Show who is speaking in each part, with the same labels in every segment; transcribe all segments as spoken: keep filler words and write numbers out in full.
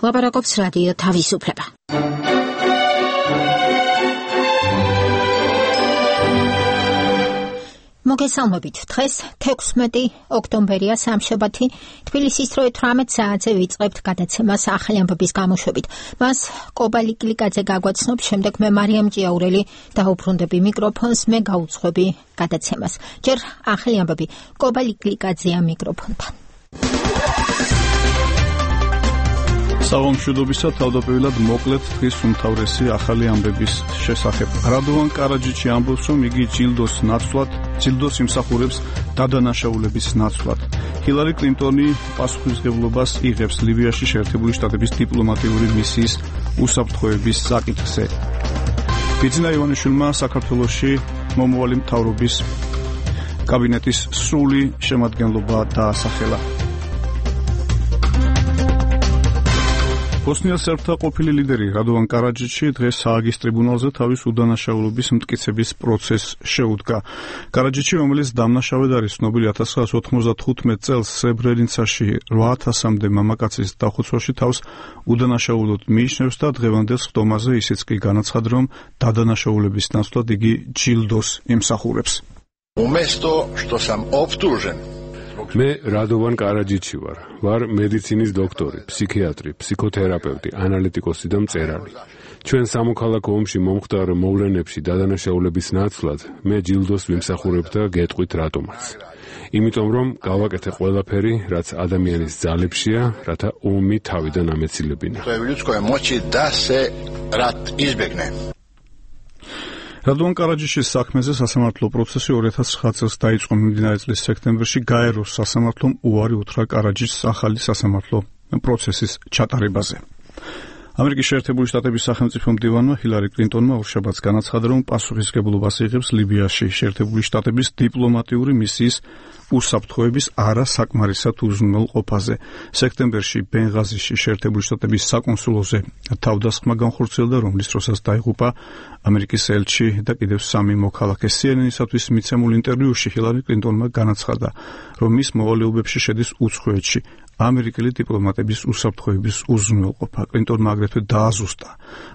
Speaker 1: ლაპარაკობს რადიო თავისუფლება. მოგესალმებით. დღეს თექვსმეტი ოქტომბერია სამშაბათი. თბილისის დროით თვრამეტ საათზე ვიწყებთ გადაცემას ახალი ამბების გამოშვებით. მას კობალი კლიკაძე გაგვაცნობს, შემდეგ მე მარიამ ჭიაურელი დაუბრუნდები მიკროფონს, მე გაუძღვები გადაცემას. ჯერ ახალი ამბები. კობალი კლიკაძეა მიკროფონთან.
Speaker 2: საღამოშობისა თავდაპირველად მოკლედ დღის უმთავრესი ახალი ამბების შესახებ. რადოვან კარაჯიჩი ამბობს, რომ იგი ჯილდოს ნაცვლად, ჯილდოს იმსახურებს დადანაშაულების ნაცვლად. ჰილარი კლინტონი პასუხისმგებლობას იღებს ლიბიაში შეერთებული შტატების დიპლომატიური მისიის უსაფრთხოების საკითხზე. ბიძინა ივანიშვილმა საქართველოში მომავალი მთავრობის კაბინეტის სრული შემადგენლობა დაასახელა. ბოსნია სერბთა ყოფილი ლიდერი რადოვან კარაჯიჩი დღეს ჰააგის ტრიბუნალზე თავის უდანაშაულობის მტკიცების პროცესს შეუდგა. კარაჯიჩი, რომელიც დამნაშავედ არის ცნობილი ათას ცხრაასა ოთხმოცდახუთმეტ წელს სებრენიცაში რვა ათასამდე მამაკაცის დახოცვაში თავს უდანაშაულოდ მიიჩნევს და დღევანდელ სხდომაზე ისიც კი განაცხადა, რომ დადანაშაულების ნაცვლად იგი ჯილდოს იმსახურებს.
Speaker 3: Уместо, что сам обтужен.
Speaker 4: მე რადოვან კარაჯიჩი ვარ. ვარ მედიცინის დოქტორი, ფსიქიატრი, ფსიქოთერაპევტი, ანალიტიკოსი და მწერალი. ჩვენ სამოქალაქო ომში მომხდარ მოვლენებში დადანაშაულების ნაცვლად მე ჯილდოს ვიმსახურებ და გეტყვით რატომაც. იმიტომ რომ გავაკეთე ყველაფერი, რაც ადამიანის ძალებშია, რათა ომი თავიდან ამეცილებინა.
Speaker 2: რადოვან კარაჯიშის საქმეზე სასამართლო პროცესი ორი ათას ცხრა წელს დაიწყო. მიმდინარე წლის სექტემბერში გაეროს სასამართლომ უარი უთხრა კარაჯიშის ახალი სასამართლო პროცესის ჩატარებაზე. ამერიკის შეერთებული შტატების სახელმწიფო მდივანმა ჰილარი კლინტონმა ორშაბათს განაცხადა, რომ პასუხისმგებლობას იღებს ლიბიაში შეერთებული შტატების დიპლომატიური მისიის უსაფრთხოების არასაკმარისად უზრუნველყოფაზე. სექტემბერში ბენღაზიში შეერთებული შტატების საკონსულოზე თავდასხმა განხორციელდა, რომლის დროსაც დაიღუპა ამერიკის ელჩი და კიდევ სამი მოქალაქე. სი ენ ენ-ისათვის მიცემულ ინტერვიუში ჰილარი კლინტონმა განაცხადა, რომ მის მოვალეობებში შედის უცხოეთში ამერიკელი დიპლომატების უსაფრთხოების უზრუნველყოფა. კლინტონმა აგრეთვე დააზუსტა,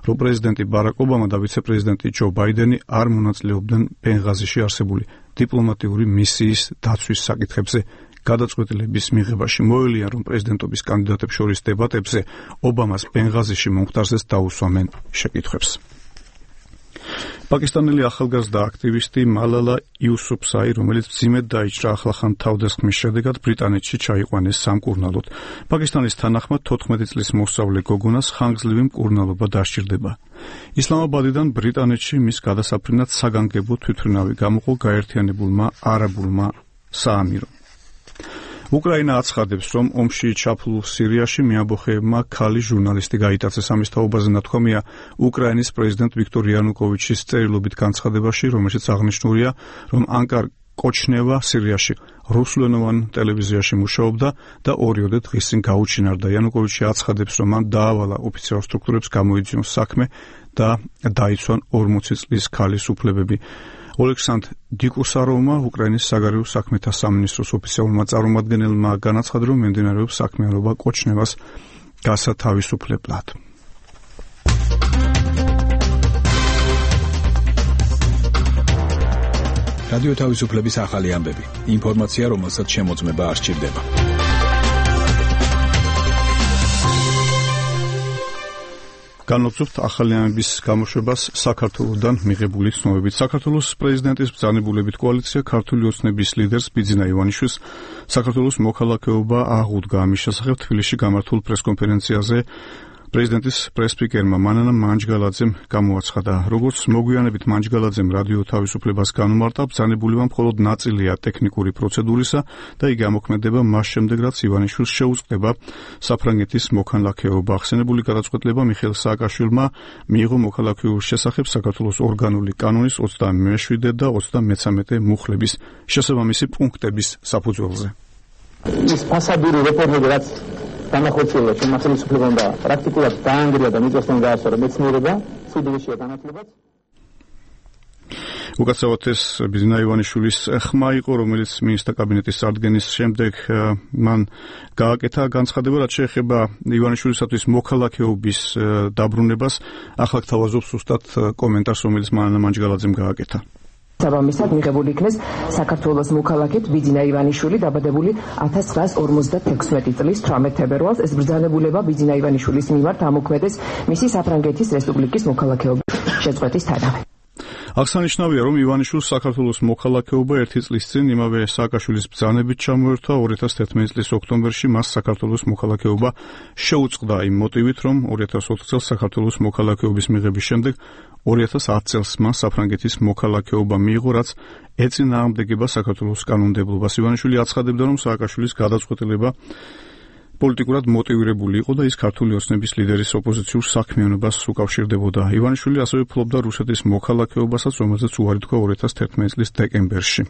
Speaker 2: რომ პრეზიდენტი ბარაკ ობამა და ვიცე-პრეზიდენტი ჯო ბაიდენი არ მონაწილეობდნენ ბენღაზიში არსებული დიპლომატიური მისიის დაცვის საკითხებზე გადაწყვეტილების მიღებაში. მოელია, რომ პრეზიდენტობის კანდიდატებს შორის დებატებზე ობამას ბენღაზიში მომხდარზეც დაუსვამენ შეკითხვებს. პაკისტანელი ახალგაზრდა აქტივისტი მალალა იუსუფზაი, რომელიც მძიმედ დაიჭრა ახლახან თავდასხმის შედეგად ბრიტანეთში ჩაიყვანეს სამკურნალოდ. პაკისტანის თანახმად თოთხმეტი წლის მოსწავლე გოგონას ხანგრძლივი მკურნალობა დასჭირდება. ისლამაბადიდან ბრიტანეთში მის გადასაფრენად საგანგებო თვითმფრინავი გამოყო გაერთიანებულმა არაბულმა საამირომ. უკრაინა აცხადებს, რომ ომში ჩაფლულ სირიაში მეამბოხეებმა ქალი ჟურნალისტი გაიტაცეს. ამის თაობაზე ნათქვამია უკრაინის პრეზიდენტ ვიქტორ იანუკოვიჩის წერილობით განცხადებაში, რომელშიც აღნიშნულია, რომ ანკარ კოჩნევა სირიაში რუსულენოვან ტელევიზიაში მუშაობდა და ორიოდე დღის წინ გაუჩინარდა. იანუკოვიჩი აცხადებს, რომ მან დაავალა ოფიციალურ სტრუქტურებს გამოიძიონ საქმე და დაიცვან ორმოცი წლის ქალის უფლებები. ოლექსანდრ დიკუსაროვმა, უკრაინის საგარეო საქმეთა სამინისტროს ოფიციალურმა წარმომადგენელმა განაცხადა, რომ მიმდინარეობს საქმიანობა კოჩნევას გასათავისუფლებლად.
Speaker 5: რადიო თავისუფლების ახალი ამბები. ინფორმაცია, რომელსაც შემოწმება არ სჭირდება. განვაცობთ ახალი ამბების გამოშვებას საქართველოსდან მიღებული ცნობებით. საქართველოს პრეზიდენტის ბრძანებულებით კოალიცია ქართული ოცნების ლიდერს ბიძინა ივანიშვილს საქართველოს მოქალაქეობა აღუდგა. ამის შესახებ თბილისში გამართულ პრესკონფერენციაზე პრეზიდენტის პრესსპიკერმა მანანა მანჯგალაძემ გამოაცხადა, როგორც მოგვიანებით მანჯგალაძემ რადიო თავისუფლებას განუმარტა, ბრძანებულება მხოლოდ ნაწილია ტექნიკური პროცედურისა და იგი ამოქმედება მას შემდეგ, რაც ივანიშვილს შეუწყდება საფრანგეთის მოქალაქეობა. ახსენებული გადაწყვეტილება მიხეილ სააკაშვილმა მიიღო მოქალაქეობის შესახებ საქართველოს ორგანული კანონის ოცდამეშვიდე და ოცდამეცამეტე მუხლების შესაბამისი პუნქტების საფუძველზე.
Speaker 6: ის ფასადური რეფორმები, რაც განახორციელა შემახელისუფლებამ და პრაქტიკულად დაანგრია და მიწასთან გაასწორა მეცნიერება, სიძველეშია განათლებაც.
Speaker 5: უკაცრავად ეს ბიძინა ივანიშვილის ხმა იყო, რომელიც მინისტრთა კაბინეტის წარდგენის შემდეგ მან გააკეთა განცხადება, რაც შეეხება ივანიშვილისათვის მოქალაქეობის დაბრუნებას. ახლა გთავაზობ ზუსტად კომენტარს, რომელიც მანანა მანჯგალაძემ გააკეთა.
Speaker 7: საბამისად მიღებული იქნეს საქართველოს მოქალაქედ ბიძინა ივანიშვილი დაბადებული ათას ცხრაას ორმოცდათექვსმეტი წლის თვრამეტ თებერვალს. ეს ბრძანებულება ბიძინა ივანიშვილის მიმართ ამოქმედეს მისი საფრანგეთის რესპუბლიკის მოქალაქეობის შეწყვეტის თანავე.
Speaker 5: აღსანიშნავია, რომ ივანიშვილს საქართველოს მოქალაქეობა ერთი წლის წინ იმავე სააკაშვილის ბრძანებით ჩამოერთვა. ორი ათას თერთმეტი წლის ოქტომბერში მას საქართველოს მოქალაქეობა შეუწყდა იმ მოტივით, რომ ორი ათას ოთხ წელს საქართველოს მოქალაქეობის მიღების შემდეგ ორი ათას ათ წელს მას საფრანგეთის მოქალაქეობა მიიღო, რაც ეწინააღმდეგება საქართველოს კანონმდებლობას. ივანიშვილი აცხადებდა, რომ სააკაშვილის გადაწყვეტილება პოლიტიკურად მოტივირებული იყო და ის ქართული ოცნების ლიდერის ოპოზიციურ საქმიანობას უკავშირდებოდა. ივანიშვილი ასევე ფლობდა რუსეთის მოქალაქეობასაც, რომელზეც უარი თქვა ორი ათას თერთმეტი წლის დეკემბერში.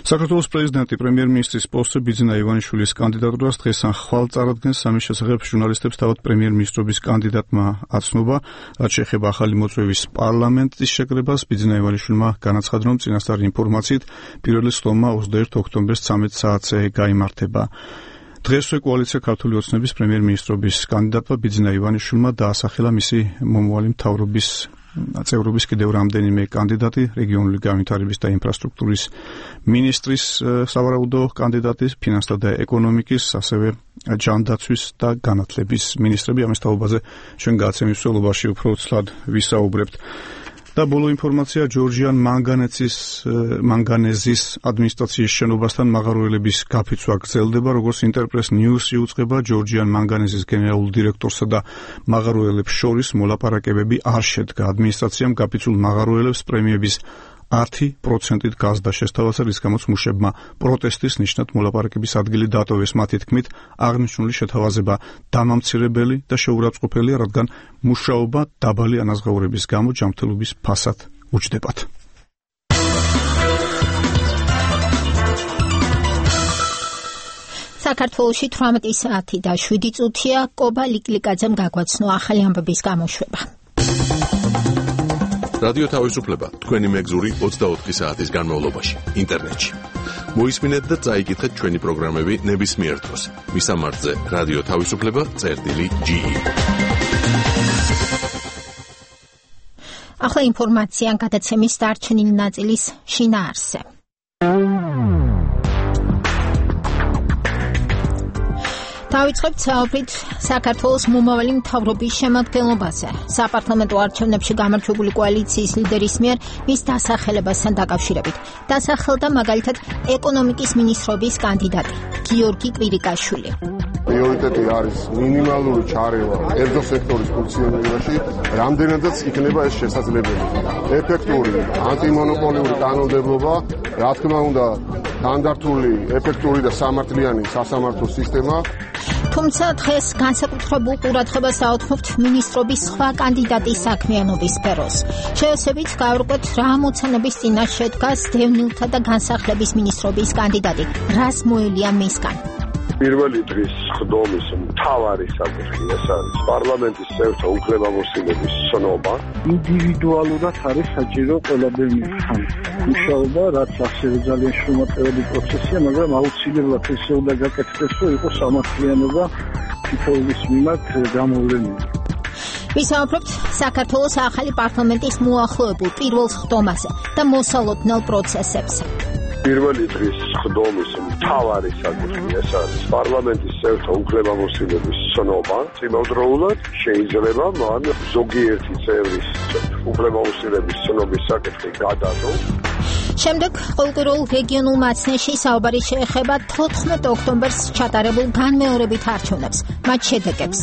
Speaker 5: საქართველოს პრეზიდენტი პრემიერ-მინისტრის პოსტზე ბიძინა ივანიშვილის კანდიდატურას დღეს ან ხვალ წარადგენს. ამის შესახებ ჟურნალისტებს თავად პრემიერ-მინისტრობის კანდიდატმა აცნობა, რაც შეეხება ახალი მოწვევის პარლამენტის შეკრებას. ბიძინა ივანიშვილმა განაცხადა, რომ წინასწარი ინფორმაციით პირველი სხდომა ოცდაერთი ოქტომბერს ცამეტ საათზე გაიმართება. დღესვე კოალიცია ქართული ოცნების პრემიერ-მინისტრობის კანდიდატმა ბიძინა ივანიშვილმა დაასახელა მისი მომავალი მთავრობის წევრობის კიდევ რამდენიმე კანდიდატი, რეგიონული განვითარების და ინფრასტრუქტურის მინისტრის სავარაუდო კანდიდატი, ფინანსთა და ეკონომიკის, ასევე ჯანდაცვის და განათლების მინისტრები. ამის თაობაზე ჩვენ გადაცემის მსვლელობაში უფრო ცლად ვისაუბრებთ. და ბოლო ინფორმაცია, ჯორჯიან მანგანეცის მანგანეზის ადმინისტრაციის შენობასთან მაღაროელების გაფიცვა გრძელდება. როგორც ინტერპრეს ნიუსი უწყება, ჯორჯიან მანგანეზის გენერალურ დირექტორსა და მაღაროელებს შორის მოლაპარაკებები არ შედგა. ადმინისტრაციამ გაფიცულ მაღაროელებს პრემიების ათი პროცენტით გაზდა შესთავაზა, რის გამოც მუშებმა პროტესტის ნიშნად მოლაპარაკების ადგილი დატოვეს. მათი თქმით, აღნიშნული შეთავაზება დამამცირებელი და შეურაცხყოფელია, რადგან მუშაობა დაბალი ანაზღაურების გამო ჯანმრთელობის ფასად უჯდებათ.
Speaker 1: საქართველოში თვრამეტი საათი და შვიდი წუთია. კობა ლიკლიკაძემ გაგვაცნო ახალი ამბების გამოშვება.
Speaker 8: რადიო თავისუფლება თქვენი მეგზური ოცდაოთხი საათის განმავლობაში ინტერნეტში. მოისმინეთ და წაიკითხეთ ჩვენი პროგრამები ნებისმიერ დროს. მისამართზე რადიო თავისუფლება წერტილი ჯი.
Speaker 1: ახლა ინფორმაცია გადაცემის დარჩენილი ნაწილის შინაარსზე. დავიწყებთ საუბრით საქართველოს მომავალი მთავრობის შემადგენლობაზე. საპარლამენტო არჩევნებში გამარჯვებული კოალიციის ლიდერის მიერ მის დასახელებასთან დაკავშირებით დასახელდა მაგალითად ეკონომიკის მინისტრობის კანდიდატი გიორგი კვირიკაშვილი.
Speaker 9: პრიორიტეტი არის მინიმალური ჩარევა კერძო სექტორის ფუნქციონირებაში, რამდენადაც იქნება ეს შესაძლებელი. ეფექტური ანტიმონოპოლიური კანონმდებლობა, რა თქმა უნდა, სტანდარტული, ეფექტური და სამართლიანი სასამართლო სისტემა.
Speaker 1: თუმცა დღეს განსაკუთრებულ ყურადღებას აუთმობთ მინისტრობის სხვა კანდიდატის საქმიანობის სფეროს. შეესაბამით გავარკვევთ რა მოცანების წინაშე დგას დევნილთა და განსახლების მინისტრობის კანდიდატი, რას მოელია მისგან.
Speaker 9: პირველი დღის სხდომის მთავარი საკითხი ეს არის პარლამენტის წევრთა უფლებამოსილების ცნობა.
Speaker 10: ინდივიდუალურად არის საჭირო ყველაფერთან მუშაობა, რაც ასევე ძალიან შრომატეველი პროცესია, მაგრამ აუცილებლად ესე უნდა გაკეთდეს, რომ იყოს სამართლიანობა თითოეულის მიმართ გამოვლენილი.
Speaker 1: ვისაუბრებთ საქართველოს ახალი პარლამენტის მოახლოებულ პირველ სხდომაზე და მოსალოდნელ პროცესებზე.
Speaker 9: პირველი დღის სხდომის მთავარი საკითხი ეს არის პარლამენტის წევრთა უფლებამოსილების ცნობა. იმავდროულად შეიძლება მან ზოგიერთი წევრის უფლებამოსილების ცნობის საკითხი გადადო.
Speaker 1: შემდეგ ყოველკვირეულ რეგიონულ მაცნეში საუბარი შეეხება თოთხმეტ ოქტომბერს ჩატარებულ განმეორებით არჩევნებს, მათ შედეგებს.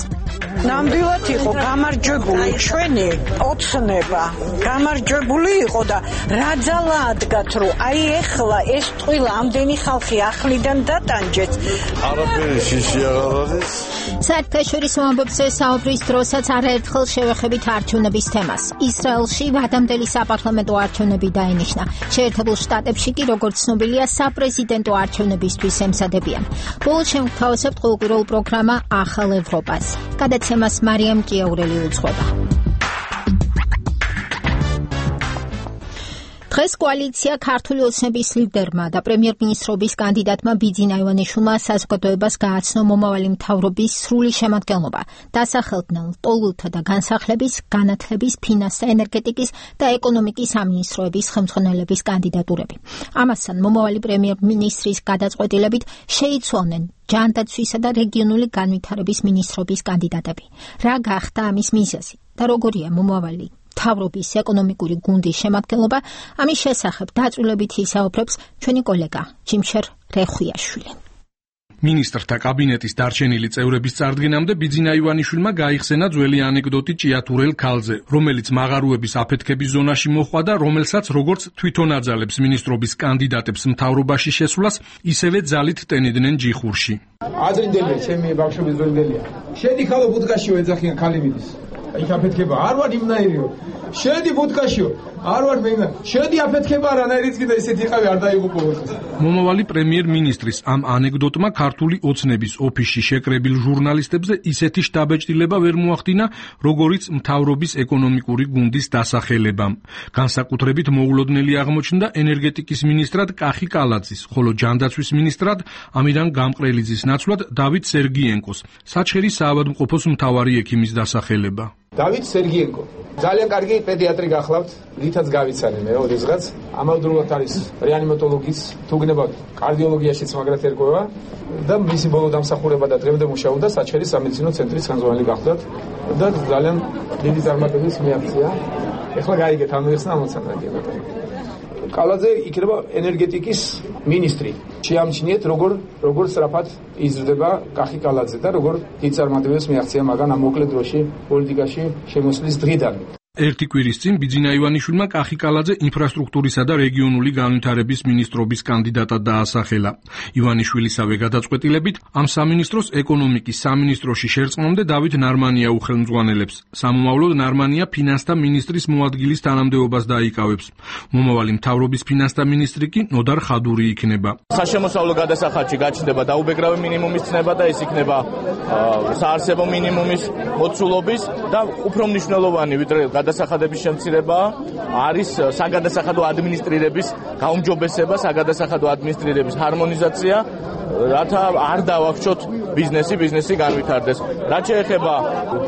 Speaker 11: ნამდვილად იყო გამარჯვებული ჩვენი ოცნება. გამარჯვებული იყო და რა ძალა ადგათ, რომ აი ეხლა ეს ტყილა ამდენი ხალხი ახლიდან დატანჯეთ.
Speaker 9: არაფერი შიში აღარ არის.
Speaker 1: საერთაშორისო ამბებზე საუბრის დროსაც არაერთხელ შევეხებით არჩევნების თემას. ისრაელში ვადამდელი საპარლამენტო არჩევნები დაინიშნა. შეერთებულ შტატებში კი, როგორც ცნობილია, საპრეზიდენტო არჩევნებისთვის ემზადებიან. ბოლოს შევთავაზებთ ყოველკვირეულ პროგრამა ახალ ევროპას. გადაცემას მარიამ ჭიაურელი უძღვება. დღეს კოალიცია ქართული ოცნების ლიდერმა და პრემიერ-მინისტრობის კანდიდატმა ბიძინა ივანიშვილმა საზოგადოებას გააცნო მომავალი მთავრობის სრული შემადგენლობა, დასახელდნენ ლტოლვილთა და განსახლების, განათლების, ფინანსთა, ენერგეტიკის და ეკონომიკის სამინისტროების ხელმძღვანელების კანდიდატურები. ამასთან მომავალი პრემიერ-მინისტრის გადაწყვეტილებით შეიცვალნენ ჯანდაცვისა და რეგიონული განვითარების მინისტრობის კანდიდატები. რა გახდა ამის მიზეზი და როგორია მომავალი მთავრობის ეკონომიკური გუნდის შემადგენლობა, ამის შესახებ დაწვრილებით ისაუბრებს ჩვენი კოლეგა ჯიმშერ რეხვიაშვილი.
Speaker 12: მინისტრთა კაბინეტის დარჩენილი წევრების წარდგენამდე ბიძინა ივანიშვილმა გაიხსენა ძველი ანეკდოტი ჭიათურელ ქალზე, რომელიც მაღარუების აფეთქების ზონაში მოხვდა და რომელსაც როგორც თვითონ აძალებს მინისტრობის კანდიდატებს მთავრობაში შესვლას, ისევე ძალით ტენიდნენ ჯიხურში.
Speaker 13: აზრინდელია, ჩემი ბავშვობის ძვენდელია. შედი ხალო ბუდკაშიო ეძახიან ქალი მიდის. იქ აფეთქება არ ვარ იმნაირიო. შედი ბუდკაშიო, არ ვარ მენა. შედი აფეთქება არანაირიც კიდე ისეთი იყავი არ დაიღუპო.
Speaker 12: მომავალი პრემიერ-მინისტრის ამ ანეკდოტმა ქართული ოცნების ოფისში შეკრებილ ჟურნალისტებზე ისეთი შთაბეჭდილება ვერ მოახდინა, როგორიც მთავრობის ეკონომიკური გუნდის დასახელებამ. განსაკუთრებით მოულოდნელი აღმოჩნდა ენერგეტიკის მინისტრად კახი კალაძის, ხოლო ჯანდაცვის მინისტრად ამირან გამყრელიძის ნაცვლად დავით სერგიენკოს, საჩხერის საავადმყოფოს მთავარი ექიმის დასახელება.
Speaker 13: დავით სერგიენკო ძალიან კარგი პედიატრი გახლავთ, რითაც გავიცანი მე ოდესღაც. ამავდროულად არის რეანიმატოლოგის, თუ გნებავთ კარდიოლოგიაშიც მაგრად ერკვევა და მისი ბოლო დამსახურება და დღემდე მუშაობდა საჩხერის სამედიცინო ცენტრის ხელმძღვანელი გახლავთ და ძალიან დიდი წარმატების მიაღწია. ეხლა გაიგეთ ამ ერთს ამოცანა გიგებოდა. კალაძე იქნება ენერგეტიკის მინისტრი. შეამჩნიეთ როგორ როგორ სწრაფად იზრდება კახი კალაძე და როგორ დიდ წარმატებებს მიაღწია მაგან ამ მოკლე დროში პოლიტიკაში შემოსვლის დღიდან.
Speaker 12: ერთი კვირის წინ ბიძინა ივანიშვილმა კახი კალაძე ინფრასტრუქტურისა და რეგიონული განვითარების მინისტრობის კანდიდატად დაასახელა. ივანიშვილისავე გადაწყვეტილებით ამ სამინისტროს ეკონომიკის სამინისტროში შერწყმამდე დავით ნარმანია უხელმძღვანელებს. სამომავლოდ ნარმანია ფინანსთა მინისტრის მოადგილის თანამდებობას დაიკავებს. მომავალი მთავრობის ფინანსთა მინისტრი კი ნოდარ ხადური იქნება.
Speaker 14: საშემოსავლო გადასახადში გაჩნდება დაუბეგრავი მინიმუმის ცნება და ეს იქნება საარსებო მინიმუმის მოცულობის და უფრო მნიშვნელოვანი ვიდრე გადასახადების შემცირება არის საგადასახადო ადმინისტრირების გაუმჯობესება, საგადასახადო ადმინისტრირების ჰარმონიზაცია, რათა არ დავახშოთ ბიზნესი, ბიზნესი განვითარდეს. რაც შეეხება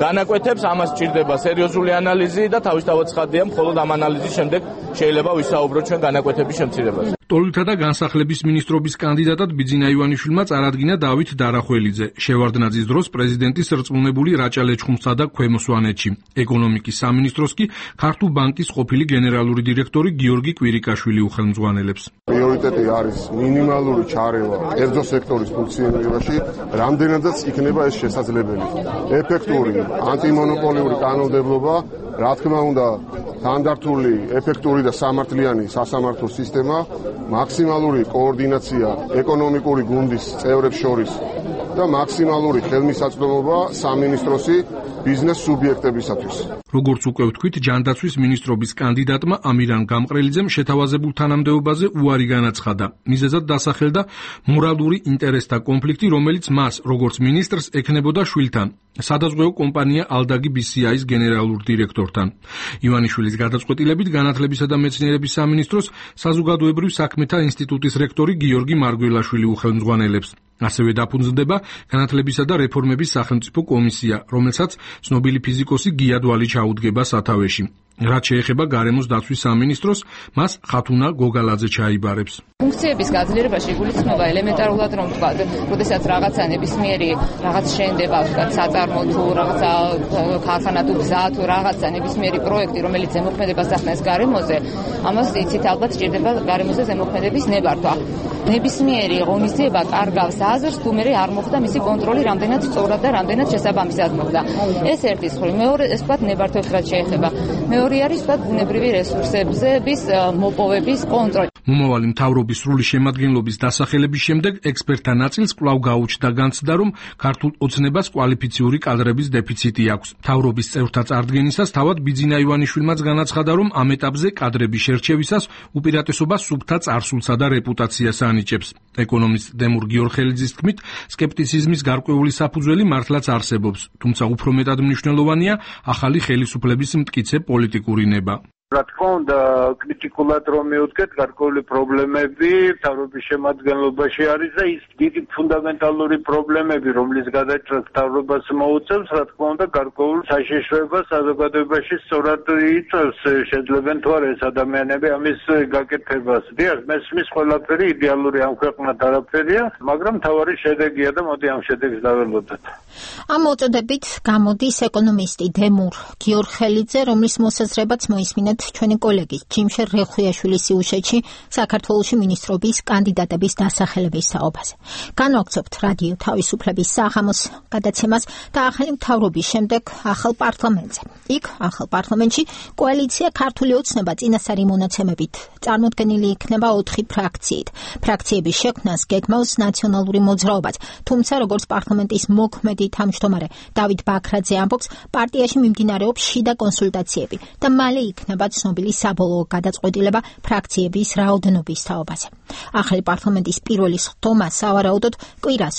Speaker 14: განაკვეთებს, ამას სჭირდება სერიოზული ანალიზი და თავისთავად ცხადია, მხოლოდ ამ ანალიზის შემდეგ შეიძლება ვისაუბროთ ჩვენ განაკვეთების შემცირებაზე.
Speaker 12: ლტოლვილთა და განსახლების მინისტრობის კანდიდატად ბიძინა ივანიშვილმა წარადგინა დავით დარახველიძე. შევარდნაძის დროს პრეზიდენტის რწმუნებული რაჭა ლეჩხუმსა და ქვემო სვანეთში. ეკონომიკის სამინისტროს კი ქართულ ბანკის ყოფილი გენერალური დირექტორი გიორგი კვირიკაშვილი უხელმძღვანელებს.
Speaker 9: პრიორიტეტი არის მინიმალური ჩარევა კერძო სექტორის ფუნქციონირებაში, რამდენადაც იქნება ეს შესაძლებელი. ეფექტური ანტიმონოპოლიური კანონმდებლობა, რა თქმა უნდა, სტანდარტული, ეფექტური და სამართლიანი სასამართლო სისტემა, მაქსიმალური კოორდინაცია ეკონომიკური გუნდის წევრებს შორის და მაქსიმალური ხელმისაწვდომობა სამინისტროსი ბიზნეს სუბიექტებისათვის.
Speaker 12: როგორც უკვე ვთქვით, ჯანდაცვის მინისტრობის კანდიდატმა ამირან გამყრელიძემ შეთავაზებულ თანამდებობაზე უარი განაცხადა. მიზეზად დასახელდა მორალური ინტერესთა კონფლიქტი, რომელიც მას, როგორც მინისტრს, ექნებოდა შვილთან, სადაზღვეო კომპანია ალდაგი ბი სი აის გენერალურ დირექტორთან. ივანიშვილის გადაწყვეტილებით განათლებისა და მეცნიერების სამინისტროს საზოგადოებრივ საქმეთა ინსტიტუტის რექტორი გიორგი მარგველაშვილი უხელმძღვანელებს. ასევე დაფუძნდება განათლებისა და რეფორმების სახელმწიფო კომისია, რომელსაც ცნობილი ფიზიკოსი გიადვალი ჩაუდგება სათავეში. რაც შეეხება გარემოს დაცვის სამინისტროს, მას ხათუნა გოგალაძე ჩაიბარებს.
Speaker 15: ფუნქციების გაძლიერებაში იგულისხმება ელემენტარულად, რომ თქვა, როდესაც რაღაცა ნებისმიერი რაღაც შენდება, თქვა, საწარმო თუ რაღაცა ქარხანა თუ გზა თუ რაღაცა ნებისმიერი პროექტი, რომელიც ზემოქმედებას ახდენს გარემოზე, ამას იცით ალბათ სჭირდება გარემოზე ზემოქმედების ნებართვა. ნებისმიერი ღონისძიება კარგავს აზრს, თუ მე არ მოხდა მისი კონტროლი რამდენად სწორად და რამდენად შესაბამისად მოხდა. ეს ერთი მხრივ, მეორე ეს თქვა ნებართვებს რაც შეეხება. მეორე არის თქვა ბუნებრივი რესურსების მოპოვების კონტროლი.
Speaker 12: მომავალი მთავრობის სრული შემადგენლობის დასახელების შემდეგ ექსპერტთა ნაწილს კვლავ გაუჩნდა განცდა, რომ ქართულ ოცნებას კვალიფიციური კადრების დეფიციტი აქვს. მთავრობის წევრთა წარდგენისას თავად ბიძინა ივანიშვილმაც განაცხადა, რომ ამ ეტაპზე კადრების შერჩევისას უპირატესობა სუფთა წარსულსა და რეპუტაციას ანიჭებს. ეკონომისტ დემურ გიორხელიძის თქმით, სკეპტიციზმის გარკვეული საფუძველი მართლაც არსებობს, თუმცა უფრო მეტად მნიშვნელოვანია ახალი ხელისუფლების მტკიცე პოლიტიკური ნება.
Speaker 16: რა თქმა უნდა, კრიტიკულად რომ მივუდგეთ, გარკვეული პრობლემები მთავრობის შემადგენლობაში არის და ის დიდი ფუნდამენტალური პრობლემები, რომლის გადაჭრას მთავრობას მოუწევს, რა თქმა უნდა, გარკვეულ საშიშროებას საზოგადოებაში სწორად იწევს. Შეიძლება თუ არა ეს ადამიანები ამის გაკეთებას. დიახ, მესმის ყველაფერი იდეალური ამ ქვეყნად არაფერია, მაგრამ თავარი შედეგია და მოდი ამ შედეგს დაველოდოთ.
Speaker 1: ამ მოწოდებით გამოდის ეკონომისტი დემურ გიორხელიძე, რომლის მოსაზრებაც მოისმინეთ ჩვენი კოლეგის ჯიმშე რეხუიაშვილის სიუჟეტში საქართველოში მინისტრობის კანდიდატების დასახელების საუბარზე. განვაგრძობთ რადიო თავისუფლების საღამოს გადაცემას და ახალი მთავრობის შემდეგ ახალ პარლამენტზე. იქ ახალ პარლამენტში კოალიცია ქართული ოცნება წინასწარი მონაცემებით წარმოდგენილი იქნება ოთხი ფრაქციით. ფრაქციების შექმნას გეგმავს ნაციონალური მოძრაობაც, თუმცა როგორც პარლამენტის მოქმედი თავმჯდომარე დავით ბაქრაძე ამბობს, პარტიაში მიმდინარეობს შიდა კონსულტაციები და მალე იქნება ცნობილი საბოლოო გადაწყვეტილება ფრაქციების რაოდენობის თაობაზე. ახალი პარლამენტის პირველი სხდომა სავარაუდოდ კვირას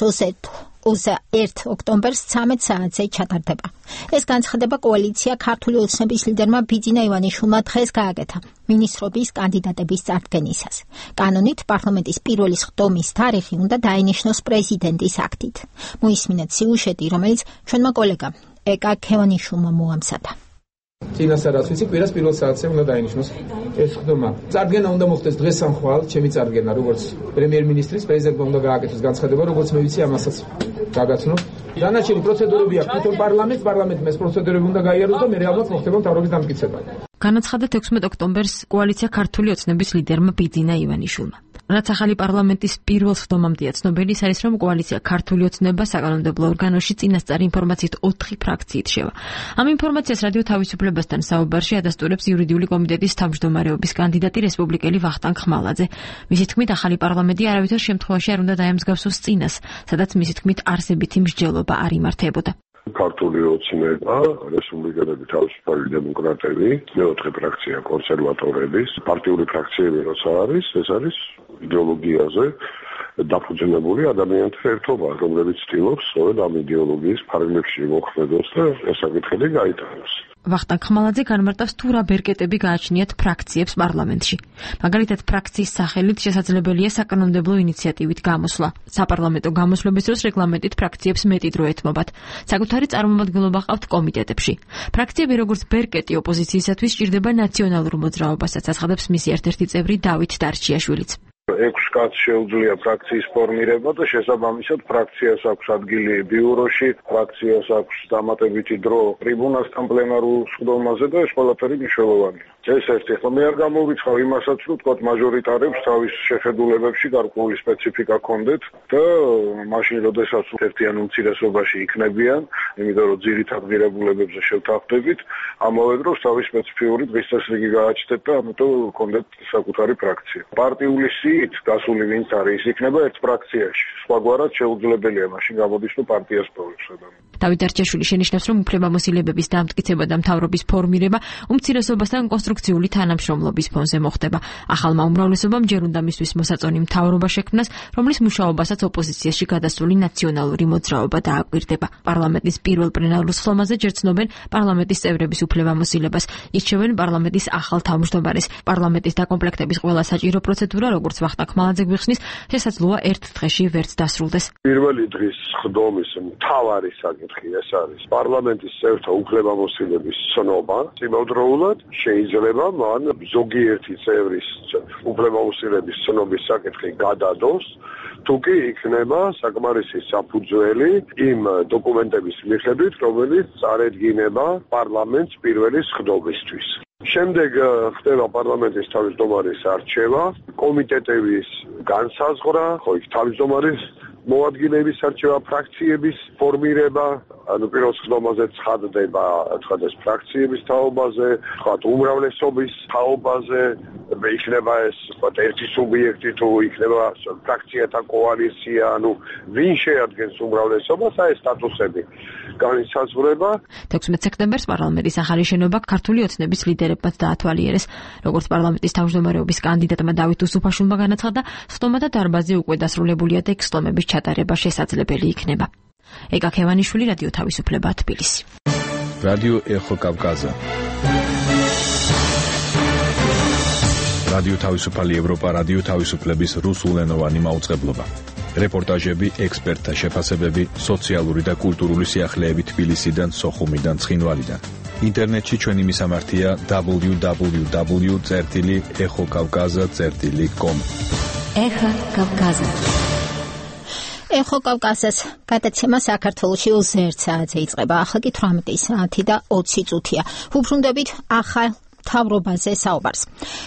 Speaker 1: ოცდაერთი ოქტომბერს ცამეტ საათზე ჩატარდება. ეს განცხადება კოალიცია ქართული ოცნების ლიდერმა ბიძინა ივანიშვილმა დღეს გააკეთა მინისტრობის კანდიდატების წარდგენისას. კანონით პარლამენტის პირველი სხდომის თარიღი უნდა დაინიშნოს პრეზიდენტის აქტით. მოისმინეთ სიუჟეტი, რომელიც ჩვენმა კოლეგამ ეკა ქევანიშვილმა მოამზადა.
Speaker 13: წინასწარაც ვიცი, კვირას პირველ საათზე უნდა დაინიშნოს ეს სხდომა. წარდგენა უნდა მოხდეს დღეს სამხვალ, ჩემი წარდგენა, როგორც პრემიერ-მინისტრის, პრეზიდენტმა უნდა გააკეთოს განცხადება, როგორც მე ვიცი, ამასაც გაგაცნო. დანარჩენი პროცედურები აქვს თვითონ პარლამენტს, პარლამენტმა ეს პროცედურები უნდა გაიაროს და მე ალბათ მოხდება მთავრობის დამტკიცება.
Speaker 17: განაცხადა თექვსმეტ ოქტომბერს კოალიცია ქართული ოცნების ლიდერმა ბიძინა ივანიშვილმა. რაც ახალი პარლამენტის პირველ სხდომამდეა ცნობილი, ის არის, რომ კოალიცია ქართული ოცნება საკანონმდებლო ორგანოში წინასწარი ინფორმაციით ოთხი ფრაქციით შევა. ამ ინფორმაციას რადიო თავისუფლებასთან საუბარში ადასტურებს იურიდიული კომიტეტის თავმჯდომარეობის კანდიდატი რესპუბლიკელი ვახტანგ ხმალაძე. მისი თქმით, ახალი პარლამენტი არავითარ შემთხვევაში არ უნდა დაემსგავსოს წინას, სადაც მისი თქმით არსებითი მსჯელობა არ იმართებოდა.
Speaker 9: ქართული ოცნება, რესპუბლიკელები, თავისუფალი დემოკრატები, მეოთხე ფრაქცია კონსერვატორების, პარტიული ფრაქციები როცა არის, ეს არის იდეოლოგიაზე დაფუძნებული ადამიანთა ერთობა, რომლებიც ცდილობს სწორედ ამ იდეოლოგიის ფარგლებში მოხვედოს და ეს საკითხები გაიტანოს.
Speaker 17: ვახტანგ ხმალაძე განმარტავს, თუ რა ბერკეტები გააჩნიათ ფრაქციებს პარლამენტში. მაგალითად, ფრაქციის სახელით შესაძლებელია საკანონმდებლო ინიციატივით გამოსვლა. საპარლამენტო გამოსვლების დროს რეგლამენტით ფრაქციებს მეტი დრო ეთმობათ. საკუთარი წარმომადგენლობა ჰყავთ კომიტეტებში. ფრაქციები როგორც ბერკეტი ოპოზიციისათვის სჭირდება ნაციონალურ მოძრაობასაც, აცხადებს მისი ერთ-ერთი წევრი დავით დარჩიაშვილიც.
Speaker 9: ექვს კაცს შეუძლია ფრაქციის ფორმირება და შესაბამისად ფრაქციას აქვს ადგილი ბიუროში, ფრაქციას აქვს დამატებითი დრო ტრიბუნასთან პლენარულ სხდომაზე და ეს ყველაფერი მნიშვნელოვანია. ეს ერთი, ხო მე არ გამოვიწყავ იმასაც, რომ თქვათ მაჟორიტარებს თავის შეხედულებებში გარკვეული სპეციფიკა ჰქონდეთ და მაშინ როდესაც ერთიან უმცირესობაში იქნებიან, იმიტომ რომ ძირითად ღირებულებებზე შევთანხმდებით, ამავე დროს თავის სპეციფიური დღესასრიგი გააჩნდეთ და ამიტომ ჰქონდეთ საკუთარი ფრაქცია. პარტიული სიით გასული ვინც არის, ის იქნება ერთ ფრაქციაში. სხვაგვარად შეუძლებელია მაშინ გამოდის, რომ პარტიას პოვებს ადამიანი.
Speaker 17: დავით დარჩიაშვილი შენიშნავს, რომ უფლებამოსილებების დამტკიცება და მთავრობის ფორმირება უმცირესობასთან კონსტრუქციული თანამშრომლობის ფონზე მოხდება. ახალმა უმრავლესობამ ჯერ უნდა მისთვის მოსაწონი მთავრობა შექმნას, რომლის მუშაობასაც ოპოზიციაში გადასული ნაციონალური მოძრაობა დააკვირდება. პარლამენტის პირველ პლენარულ სხდომაზე ჯერ ცნობენ პარლამენტის წევრების უფლებამოსილებას, ირჩევენ პარლამენტის ახალ თავმჯდომარეს. პარლამენტის დაკომპლექტების ყველა საჭირო პროცედურა, როგორც ვახტანგ ხმალაძე გვიხსნის, შესაძლოა ერთ დღეში ვერც დასრულდეს.
Speaker 9: პირველი დღის სხდომის მთავარი საკითხი ეს არის პარლამენტის წევრთა უფლებამოსილების ცნობა. იმავდროულად შეიძლება მან ზოგიერთი წევრის უფლებამოსილების ცნობის საკითხი გადადოს, თუ კი იქნება საკმარისი საფუძველი იმ დოკუმენტების მიხედვით, რომელიც წარედგინება პარლამენტს პირველი სხდომისთვის. შემდეგ ხდება პარლამენტის თავმჯდომარის არჩევა, კომიტეტების განსაზღვრა, ხო იქ თავმჯდომარის მოადგილეების არჩევა, ფრაქციების ფორმირება, ანუ პირველ სხდომაზე ცხადდება, თქვა ეს ფრაქციების თაობაზე, თქვა უმრავლესობის თაობაზე, იქნება ეს თქვა ერთი სუბიექტი თუ იქნება ფრაქციათა კოალიცია, ანუ ვინ შეადგენს უმრავლესობას, აი ეს სტატუსები განისაზღვრება.
Speaker 17: თექვსმეტ სექტემბერს პარლამენტის ახალი შენობა ქართული ოცნების ლიდერებმაც დაათვალიერეს. როგორც პარლამენტის თავმჯდომარეობის კანდიდატმა დავით უსუფაშვილმა განაცხადა, სხდომათა დარბაზი უკვე დასრულებულია და ექსლომების ჩატარება შესაძლებელი იქნება. ეკა ქევანიშვილი, რადიო თავისუფლება, თბილისი.
Speaker 18: რადიო ეხო კავკაზა. რადიო თავისუფალი ევროპა, რადიო თავისუფლების რუსულენოვანი მაუწყებლობა. რეპორტაჟები, ექსპერტთა შეფასებები, სოციალური და კულტურული სიახლეები თბილისიდან, სოხუმიდან, ცხინვალიდან. ინტერნეტში ჩვენი მისამართია double-u double-u double-u წერტილი exokavkaza წერტილი com.
Speaker 1: Ეხო კავკაზა. ეხო კავკაზას გადაცემა საქართველოში ოცი საათზე იწყება. ახლა კი თვრამეტი საათი და ოცი წუთია. უბრუნდებით ახალ თავრობაზე საუბარს.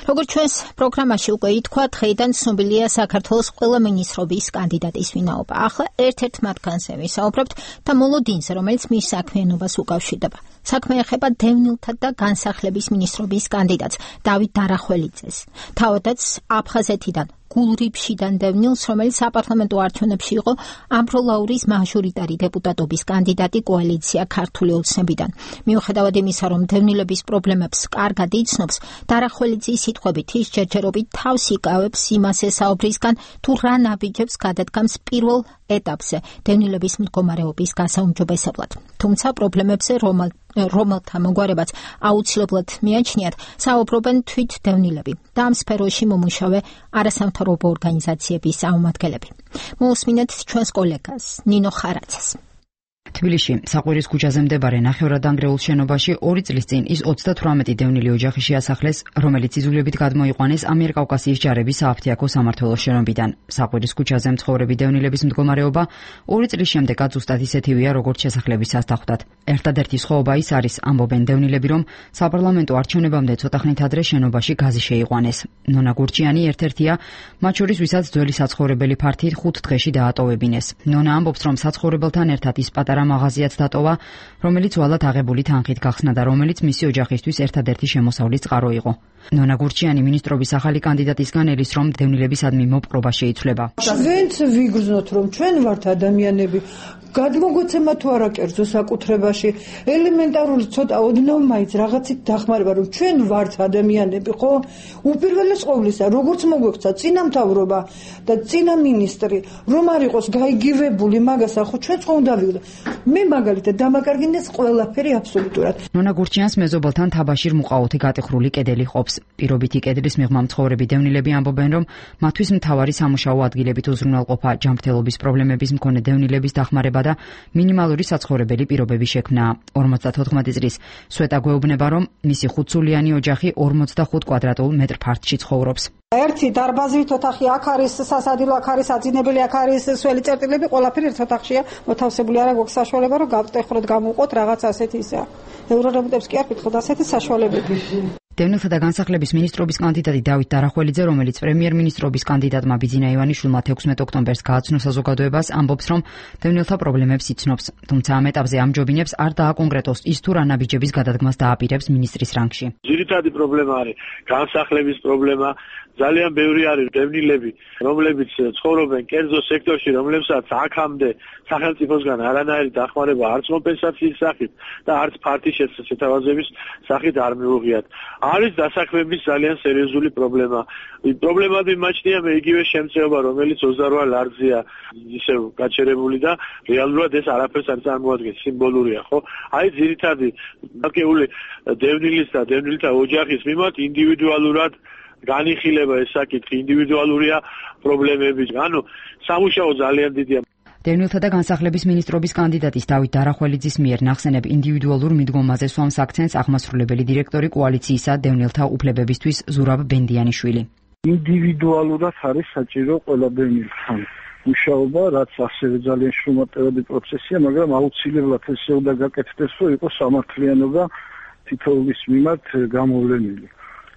Speaker 1: როგორც ჩვენს პროგრამაში უკვე ითქვა, დღეიდან ცნობილია საქართველოს ყველა მინისტრობის კანდიდატის ვინაობა. ახლა ერთ-ერთ მათგანზე ვისაუბრებთ და მოლოდინზე, რომელიც მის საქმიანობას უკავშირდება. საქმე ეხება დევნილთა და განსახლების მინისტრობის კანდიდატს დავით დარახველიძეს. თავადაც აფხაზეთიდან გულრიფშიდან დევნილს, რომელიც საპარლამენტო არჩევნებში იყო ამბროლაურის მაჟორიტარი დეპუტატობის კანდიდატი კოალიცია ქართული ოცნებიდან. მიუხედავად იმისა, რომ დევნილების პრობლემებს კარგად იცნობს, დარახველიძის სიტყვებით ის ჯერჯერობით თავს იკავებს იმას ესაუბრისგან, თუ რა ნაბიჯებს გადადგამს პირველ ეტაპზე დევნილების მდგომარეობის გასაუმჯობესებლად. თუმცა პრობლემებზე რომელ რომელთა მოგვარებაც აუცილებლად მიაჩნიათ, საუბრობენ თვით დევნილები და ამ სფეროში მომუშავე არასამთავრობო ორგანიზაციების წარმომადგენლები. მოусმინეთ ჩვენს კოლეგას ნინო ხარაცას.
Speaker 19: თბილისში საყვირის ქუჩაზე მდებარე ნახევრადანგრეულ შენობაში ორი წლის წინ ის ოცდათვრამეტი დევნილი ოჯახი შეასახლეს, რომელიც იძულებით გადმოიყვანეს ამიერკავკასიის ჯარების სააფთიაქო სამმართველოს შენობიდან. საყვირის ქუჩაზე მცხოვრები დევნილების მდგომარეობა ორი წლის შემდეგაც ზუსტად ისეთივეა, როგორც შესახლების სასტახვდად. ერთადერთი სხვაობა ის არის, ამბობენ დევნილები, რომ საპარლამენტო არჩევნებამდე ცოტახნით ადრე შენობაში გაზი შეიყვანეს. ნონა გურჩიანი ერთ-ერთია, მათ შორის ვისაც ძველი საცხოვრებელი ფართით ხუთ დღეში დაატოვებინეს. ნონა ამბობს, რომ საცხოვრებელთან ერთად ის პატარა მაღაზიაც დატოვა, რომელიც ვალად აღებული თანხით გახსნა და რომელიც მისი ოჯახისთვის ერთადერთი შემოსავლის წყარო იყო. ნონა გურჩიანი მინისტრობის ახალი კანდიდატისგან ელის, რომ დევნილებისადმი მოპყრობა შეიცვლება.
Speaker 20: ჩვენც ვიგრძნოთ, რომ ჩვენ ვართ ადამიანები, გადმოგვეცემა თუ არა კერძო საკუთრებაში, ელემენტარული ცოტა ოდნავ მაინც რაღაცით დახმარება, რომ ჩვენ ვართ ადამიანები, ხო? უპირველეს ყოვლისა, როგორც მოგვექცა წინამთავრობა და წინა მინისტრი, რომ არ იყოს გაიგივებული მაგასა, ხო ჩვენც ხო უნდა ვიყო. მე მაგალითად დამაკარგინეს ყველაფერი აბსოლუტურად.
Speaker 19: ნონა გურჩიანს მეზობელთან თაბაშირ მუყაოთი გატეხრული კედელი ყოფს. პირობითი კედლის მიღმა მცხოვრები დევნილები ამბობენ, რომ მათთვის მთავარი სამუშაო ადგილებით უზრუნველყოფა, ჯანმრთელობის პრობლემების მქონე დევნილების დახმარება და მინიმალური საცხოვრებელი პირობების შექმნა. ორმოცდათოთხმეტი წლის სვეტა გვეუბნება, რომ მისი ხუთსულიანი ოჯახი ორმოცდახუთ კვადრატულ მეტრ ფართში ცხოვრობს.
Speaker 11: ერთი დარბაზით ოთახი აქ არის, სასადილო აქ არის, აძინებელი აქ არის, სველი წერტილები, ყველაფერი ერთ ოთახშია მოთავსებული. არა გვაქვს საშუალება, რომ გავტეხროთ, გამოვყოთ რაღაც ასეთი ისა. ევრორემონტებს კი არ ვკითხოთ, ასეთი საშუალებები.
Speaker 19: დევნილთა და განსახლების მინისტრობის კანდიდატი დავით დარახველიძე, რომელიც პრემიერ-მინისტრობის კანდიდატმა ბიძინა ივანიშვილმა თექვსმეტ ოქტომბერს გააცნო საზოგადოებას, ამბობს, რომ დევნილთა პრობლემებს იცნობს. თუმცა ამ ეტაპზე ამჯობინებს არ დააკონკრეტოს ის თუ რა ნაბიჯების გადადგმას დააპირებს მინისტრის რანგში.
Speaker 21: ძირითადი პრობლემა არის განსახლების პრობლემა. ძალიან ბევრი არის დევნილები, რომლებიც ცხოვრობენ კერძო სექტორში, რომლებსაც აქამდე სახელმწიფოსგან არანაირი დახმარება არც კომპენსაციის სახით და არც ფართის შეთავაზების სახით არ მიუღიათ. არის დასაქმების ძალიან სერიოზული პრობლემა. პრობლემად მიმაჩნია მე იგივე შემწეობა, რომელიც ოცდარვა ლარზია ისევ გაჩერებული და რეალურად ეს არაფერს არ წარმოადგენს, სიმბოლურია, ხო? აი ძირითადი დაკეული დევნილის და დევნილთა ოჯახის მიმართ ინდივიდუალურად განიხილება ეს საკითხი, ინდივიდუალურია პრობლემები. ანუ სამუშაო ძალიან დიდია.
Speaker 19: დევნილთა და განსახლების მინისტრობის კანდიდატის დავით დარახველიძის მიერ ნახსენებ ინდივიდუალურ მიდგომაზე სვამს აქცენტს აღმასრულებელი დირექტორი კოალიციისა დევნილთა უფლებებისთვის ზურაბ ბენდიანიშვილი.
Speaker 10: ინდივიდუალურად არის საჭირო ყველა დევნილთან მუშაობა, რაც ასევე ძალიან შრომატევადი პროცესია, მაგრამ აუცილებლად ესე უნდა გაკეთდეს, რომ იყოს სამართლიანობა თითოეულის მიმართ გამოვლენილი.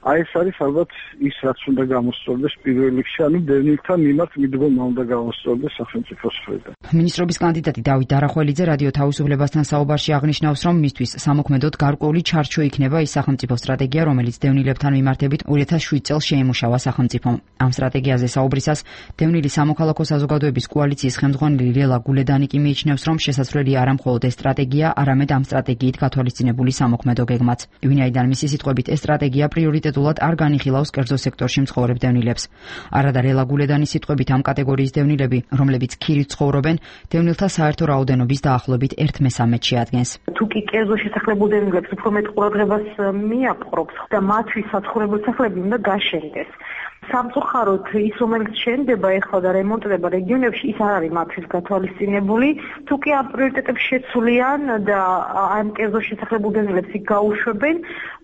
Speaker 10: აი ეს არის ალბათ ის რაც უნდა გამოსწორდეს პირველ რიგში, ანუ დევნილთა მიმართ მიდგომა უნდა გამოსწორდეს სახელმწიფოს მხრიდან.
Speaker 19: მინისტრობის კანდიდატი დავით დარახველიძე რადიო თავისუფლებასთან საუბარში აღნიშნავს, რომ მისთვის სამოქმედოდ გარკვეული ჩარჩო იქნება ის სახელმწიფო სტრატეგია, რომელიც დევნილებთან მიმართებით ორი ათას შვიდ წელს შეიმუშავა სახელმწიფომ. ამ სტრატეგიაზე საუბრისას დევნილი სამოქალაქო საზოგადოების კოალიციის ხელმძღვანელი ლელა გულედანი კი მიიჩნევს, რომ შესაძლებელი არა მხოლოდ ეს სტრატეგია, არამედ ამ სტრატეგიით გათვალისწინებული სამოქმედო გეგმაც. ვინაიდან მისი სიტყვებით ეს სტრატეგია პრიორიტეტ პრიორიტეტულად არ განიხილავს კერძო სექტორში მცხოვრებ დევნილებს. არადა რელაგულედანის სიტყვებით ამ კატეგორიის დევნილები, რომლებიც ქირით ცხოვრობენ, დევნილთა საერთო რაოდენობის დაახლოებით ერთ მესამედში ადგენს.
Speaker 3: თუ კი კერძო შესახლებულ დევნილებს უფრო მეტ ყურადღებას მიაპყრობს და მათთვის საცხოვრებელი სახლები უნდა გაშენდეს. სამწუხაროდ ის რომელიც შენდება ეხლა და რემონტდება რეგიონებში ის არ არის მათთვის გათვალისწინებული. თუ კი ამ პრიორიტეტებს შეცვლიან და ამ კერძო შესახლებულ დევნილებს იქ გაუშვებენ,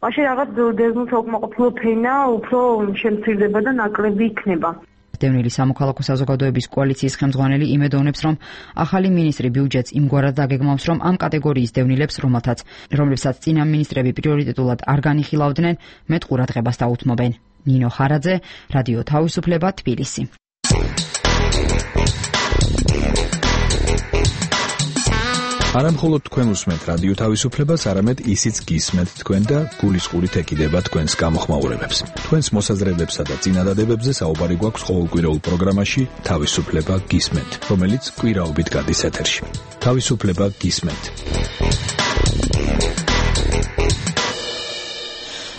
Speaker 3: მაშინ რაღაც დევნილთა უკმაყოფილო ფენა უფრო შემცირდება და ნაკლები იქნება.
Speaker 19: დევნილი სამოქალაქო საზოგადოების კოალიციის ხელმძღვანელი იმედოვნებს, რომ ახალი მინისტრი ბიუჯეტს იმგვარად დაგეგმავს, რომ ამ კატეგორიის დევნილებს, რომელთაც რომლებსაც წინა მინისტრები პრიორიტეტულად არ განიხილავდნენ, მეტ ყურადღებას დაუთმობენ. ნინო ხარაძე, რადიო თავისუფლება, თბილისი.
Speaker 18: არამხოლოდ თქვენ უსმენთ რადიო თავისუფლებას, არამედ ისიც გისმენთ თქვენ და გულისყურით ეკიდება თქვენს გამოხმაურებებს. თქვენს მოსაზრებებსა და წინადადებებზე საუბარი გვაქვს ყოველკვირეულ პროგრამაში თავისუფლება გისმენთ, რომელიც კვირაობით გადის ეთერში. თავისუფლება გისმენთ.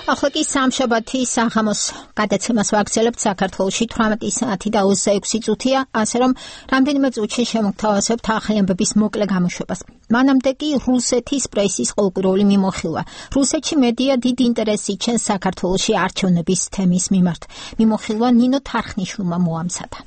Speaker 1: ახლა კი სამშაბათი საღამოს გადაცემას ვაგრძელებთ საქართველოში თვრამეტი საათი და ოცდაექვსი წუთია, ასე რომ რამდენიმე წუთში შემოგთავაზებთ ახალი ამბების მოკლე გამოშვებას. მანამდე კი რუსეთის პრესის ყოველკვირეული მიმოხილვა. რუსეთში მედია დიდ ინტერესს იჩენს საქართველოში არჩევნების თემის მიმართ. მიმოხილვა ნინო თარხნიშვილმა მოამზადა.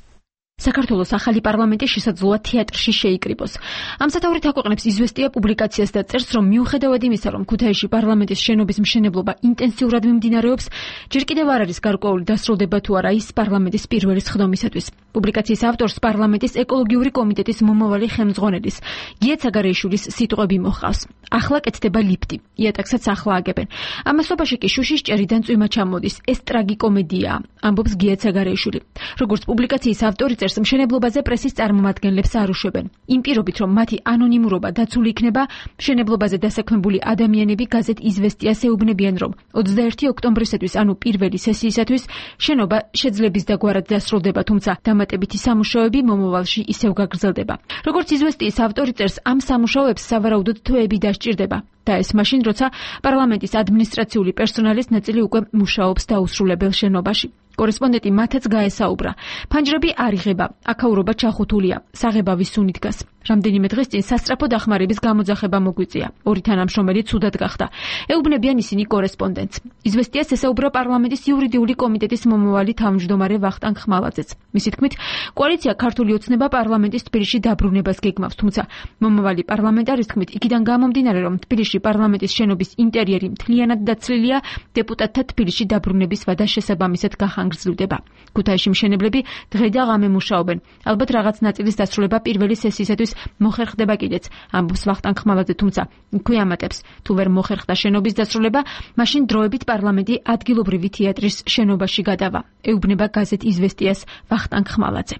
Speaker 17: საქართველოს ახალი პარლამენტი შესაძლოა თეატრში შეიკრიბოს. ამ სათაურით აქვეყნებს იზვესტია პუბლიკაციას და წერს, რომ მიუხედავად იმისა, რომ ქუთაისში პარლამენტის შენობის მშენებლობა ინტენსიურად მიმდინარეობს, ჯერ კიდევ არ არის გარკვეული დასრულდება თუ არა ის პარლამენტის პირველი სხდომისათვის. პუბლიკაციის ავტორს პარლამენტის ეკოლოგიური კომიტეტის მომავალი ხელმძღვანელის გია ცაგარეიშვილის სიტყვები მოჰყავს. ახლა კეთდება ლიფტი, იატაკსაც ახლა აგებენ. ამასობაში კი შუშის ჭერიდან წვიმა ჩამოდის. ეს ტრაგიკომედიაა, ამბობს გია ცაგარეიშვილი. როგორც პუბლიკაციის ავტორი წერს, მშენებლობაზე პრესის წარმომადგენლებს არ უშვებენ. იმ პირობით, რომ მათი ანონიმურობა დაცული იქნება, მშენებლობაზე დასაქმებული ადამიანები გაზეთ იზვესტიას ეუბნებიან, რომ ოცდაერთი ოქტომბრისათვის, ანუ პირველი სესიისათვის, შენობა შეძლების დაგვარად დასრულდება, თუმცა დამატებითი სამუშაოები მომავალში ისევ გაგრძელდება. როგორც იზვესტიის ავტორი წერს, ამ სამუშაოებს სავარაუდოდ თვეები დასჭირდება. და ეს მაშინ, როცა პარლამენტის ადმინისტრაციული პერსონალის ნაწილი უკვე მუშაობს დაუსრულებელ შენობაში. კორესპონდენტი მათაც გაესაუბრა. ფანჯრები არ იღება, აქაურობა ჩახუთულია, საღებავის სუნი დგას. რამდენიმე დღის წინ სასწრაფო დახმარების გამოძახება მოგვიწია. ორი თანამშრომელი ცუდად გახდა. ეუბნებიან ისინი კორესპონდენტს. იზვესტიას ესაუბრა პარლამენტის იურიდიული კომიტეტის მომავალი თავმჯდომარე ვახტანგ ხმალაძეც. მისი თქმით, კოალიცია ქართული ოცნება პარლამენტის თბილისში დაბრუნებას გეგმავს, თუმცა მომავალი პარლამენტარის თქმით, იქიდან გამომდინარე, რომ თბილისში პარლამენტის შენობის ინტერიერი მთლიანად დაცლილია, დეპუტატთა თბილისში დაბრუნების ვადა შესაბამისად გახანგრძლივდება. ქუთაისში მშენებლები დღე და ღამე მუშაობენ. ალბათ რაღაც ნაწილის დასრულება პირველი სესიისათვის მოხერხდება კიდეც, ამბობს ვახტანგ ხმალაძე, თუმცა იქვე ამატებს, თუ ვერ მოხერხდა შენობის დასრულება, მაშინ დროებით პარლამენტი ადგილობრივი თეატრის შენობაში გადავა. ეუბნება გაზეთ იზვესტიას ვახტანგ ხმალაძე.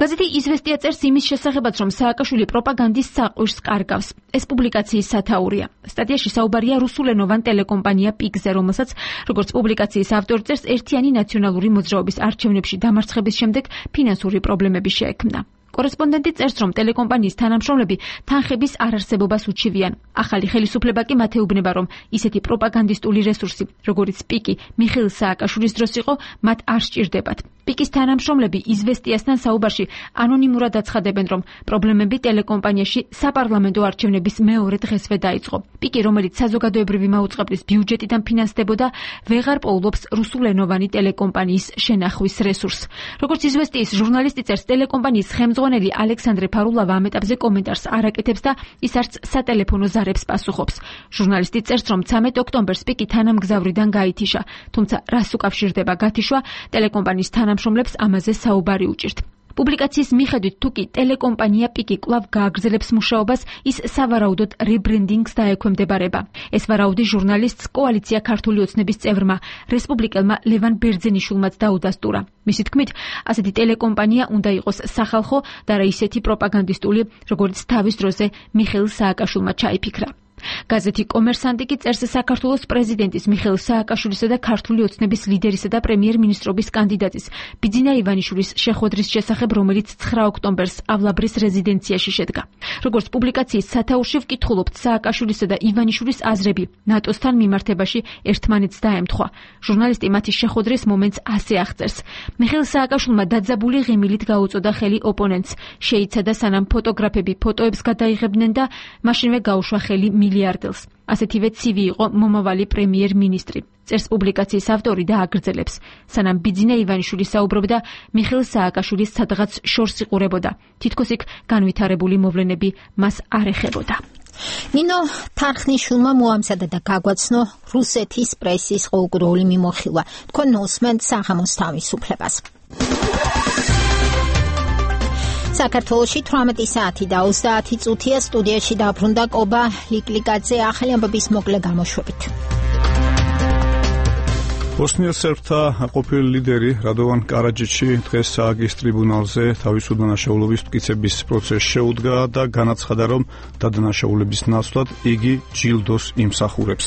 Speaker 17: გაზეთი იზვესტია წერს იმის შესახებაც, რომ სააკაშვილი პროპაგანდის საყვირს კარგავს. ეს პუბლიკაციის სათაურია. სტატიაში საუბარია რუსულენოვან ტელეკომპანია პიკზე, რომელსაც, როგორც პუბლიკაციის ავტორი წერს, ერთიანი ნაციონალური მოძრაობის არჩევნებში დამარცხების შემდეგ ფინანსური პრობლემები შეექმნა. კორესპონდენტი წერს, რომ ტელეკომპანიის თანამშრომლები თანხების არარსებობას უჩივიან. ახალი ხელისუფლება კი მათ ეუბნება, რომ ისეთი პროპაგანდისტული რესურსი, როგორიც პიკი მიხეილ სააკაშვილის დროს იყო, მათ არ სჭირდებათ. პიკის თანამშრომლები იზვესტიასთან საუბარში ანონიმურად აცხადებენ, რომ პრობლემები ტელეკომპანიაში საპარლამენტო არჩევნების მეორე დღესვე დაიწყო. პიკი, რომელიც საზოგადოებრივი მაუწყებლის ბიუჯეტიდან ფინანსდებოდა, ვეღარ პოულობს რუსულენოვანი ტელეკომპანიის შენახვის რესურსს. როგორც იზვესტიის ჟურნალისტი წერს, ტელეკომპანიის ხელმძღვანელი ალექსანდრე ფარულავა ამ ეტაპზე კომენტარს არ აკეთებს და ის არც სატელეფონო ზარებს პასუხობს. ჟურნალისტი წერს, რომ ცამეტ ოქტომბერს პიკი თანამგზავრიდან გაითიშა, თუმცა რას უკავშირდება გათიშვა, ტელეკომპანიის თანამშრომლებს ამაზე საუბარი უჭირთ. პუბლიკაციის მიხედვით, თუ კი ტელეკომპანია პიკი კვლავ გააგრძელებს მუშაობას, ის სავარაუდოდ რებრენდინგს დაექვემდებარება. ეს ვარაუდი ჟურნალისტს კოალიცია ქართული ოცნების წევრმა, რესპუბლიკელმა ლევან ბერძენიშვილმაც დაუდასტურა. მისი თქმით, ასეთი ტელეკომპანია უნდა იყოს სახალხო და რა ისეთი პროპაგანდისტული, როგორც თავის დროზე მიხეილ სააკაშვილმა ჩაიფიქრა. გაზეთი კომერსანტი კი წერს საქართველოს პრეზიდენტის მიხეილ სააკაშვილისა და ქართული ოცნების ლიდერისა და პრემიერ-მინისტრობის კანდიდატის ბიძინა ივანიშვილის შეხვედრის შესახებ, რომელიც ცხრა ოქტომბერს ავლაბრის რეზიდენციაში შედგა. როგორც პუბლიკაციის სათაურში ვკითხულობთ, სააკაშვილისა და ივანიშვილის აზრები ნატოსთან მიმართებაში ერთმანეთს დაემთხვა. ჟურნალისტი მათი შეხვედრის მომენტს ასე აღწერს: მიხეილ სააკაშვილმა დაძაბული ღიმილით გაუწოდა ხელი ოპონენტს, შეიცადა სანამ ფოტოგრაფები ფოტოებს გადაიღებდნენ და მაშინვე გაუშვა ხელი მილიარდელს. ასეთივე ცივი იყო მომავალი პრემიერ-მინისტრი. წერს პუბლიკაციის ავტორი და აგრძელებს: სანამ ბიძინა ივანიშვილი საუბრობდა, მიხეილ სააკაშვილის სადღაც შორს იყურებოდა. თითქოს იქ განვითარებული მოვლენები მას არ ეხებოდა. ნინო თარხნიშვილმა მოამზადა და გაგვაცნო რუსეთის პრესის ყოველგვარული მიმოხილვა. თქვენ უსმენთ საღამოს თავისუფლებას. საქართველოში თვრამეტი საათი და ოცდაათი წუთია. სტუდიაში დაბრუნდა კობა ლიკლიკაძე. ახალი ამბების მოკლე გამოშვებით.
Speaker 2: ბოსნიელ სერბთა ყოფილი ლიდერი რადოვან კარაჯიჩი დღეს ააგის ტრიბუნალზე თავისუფლდანაშაულობის მტკიცების პროცესს შეუდგა და განაცხადა, რომ დადანაშაულების ნაცვლად იგი ჯილდოს იმსახურებს.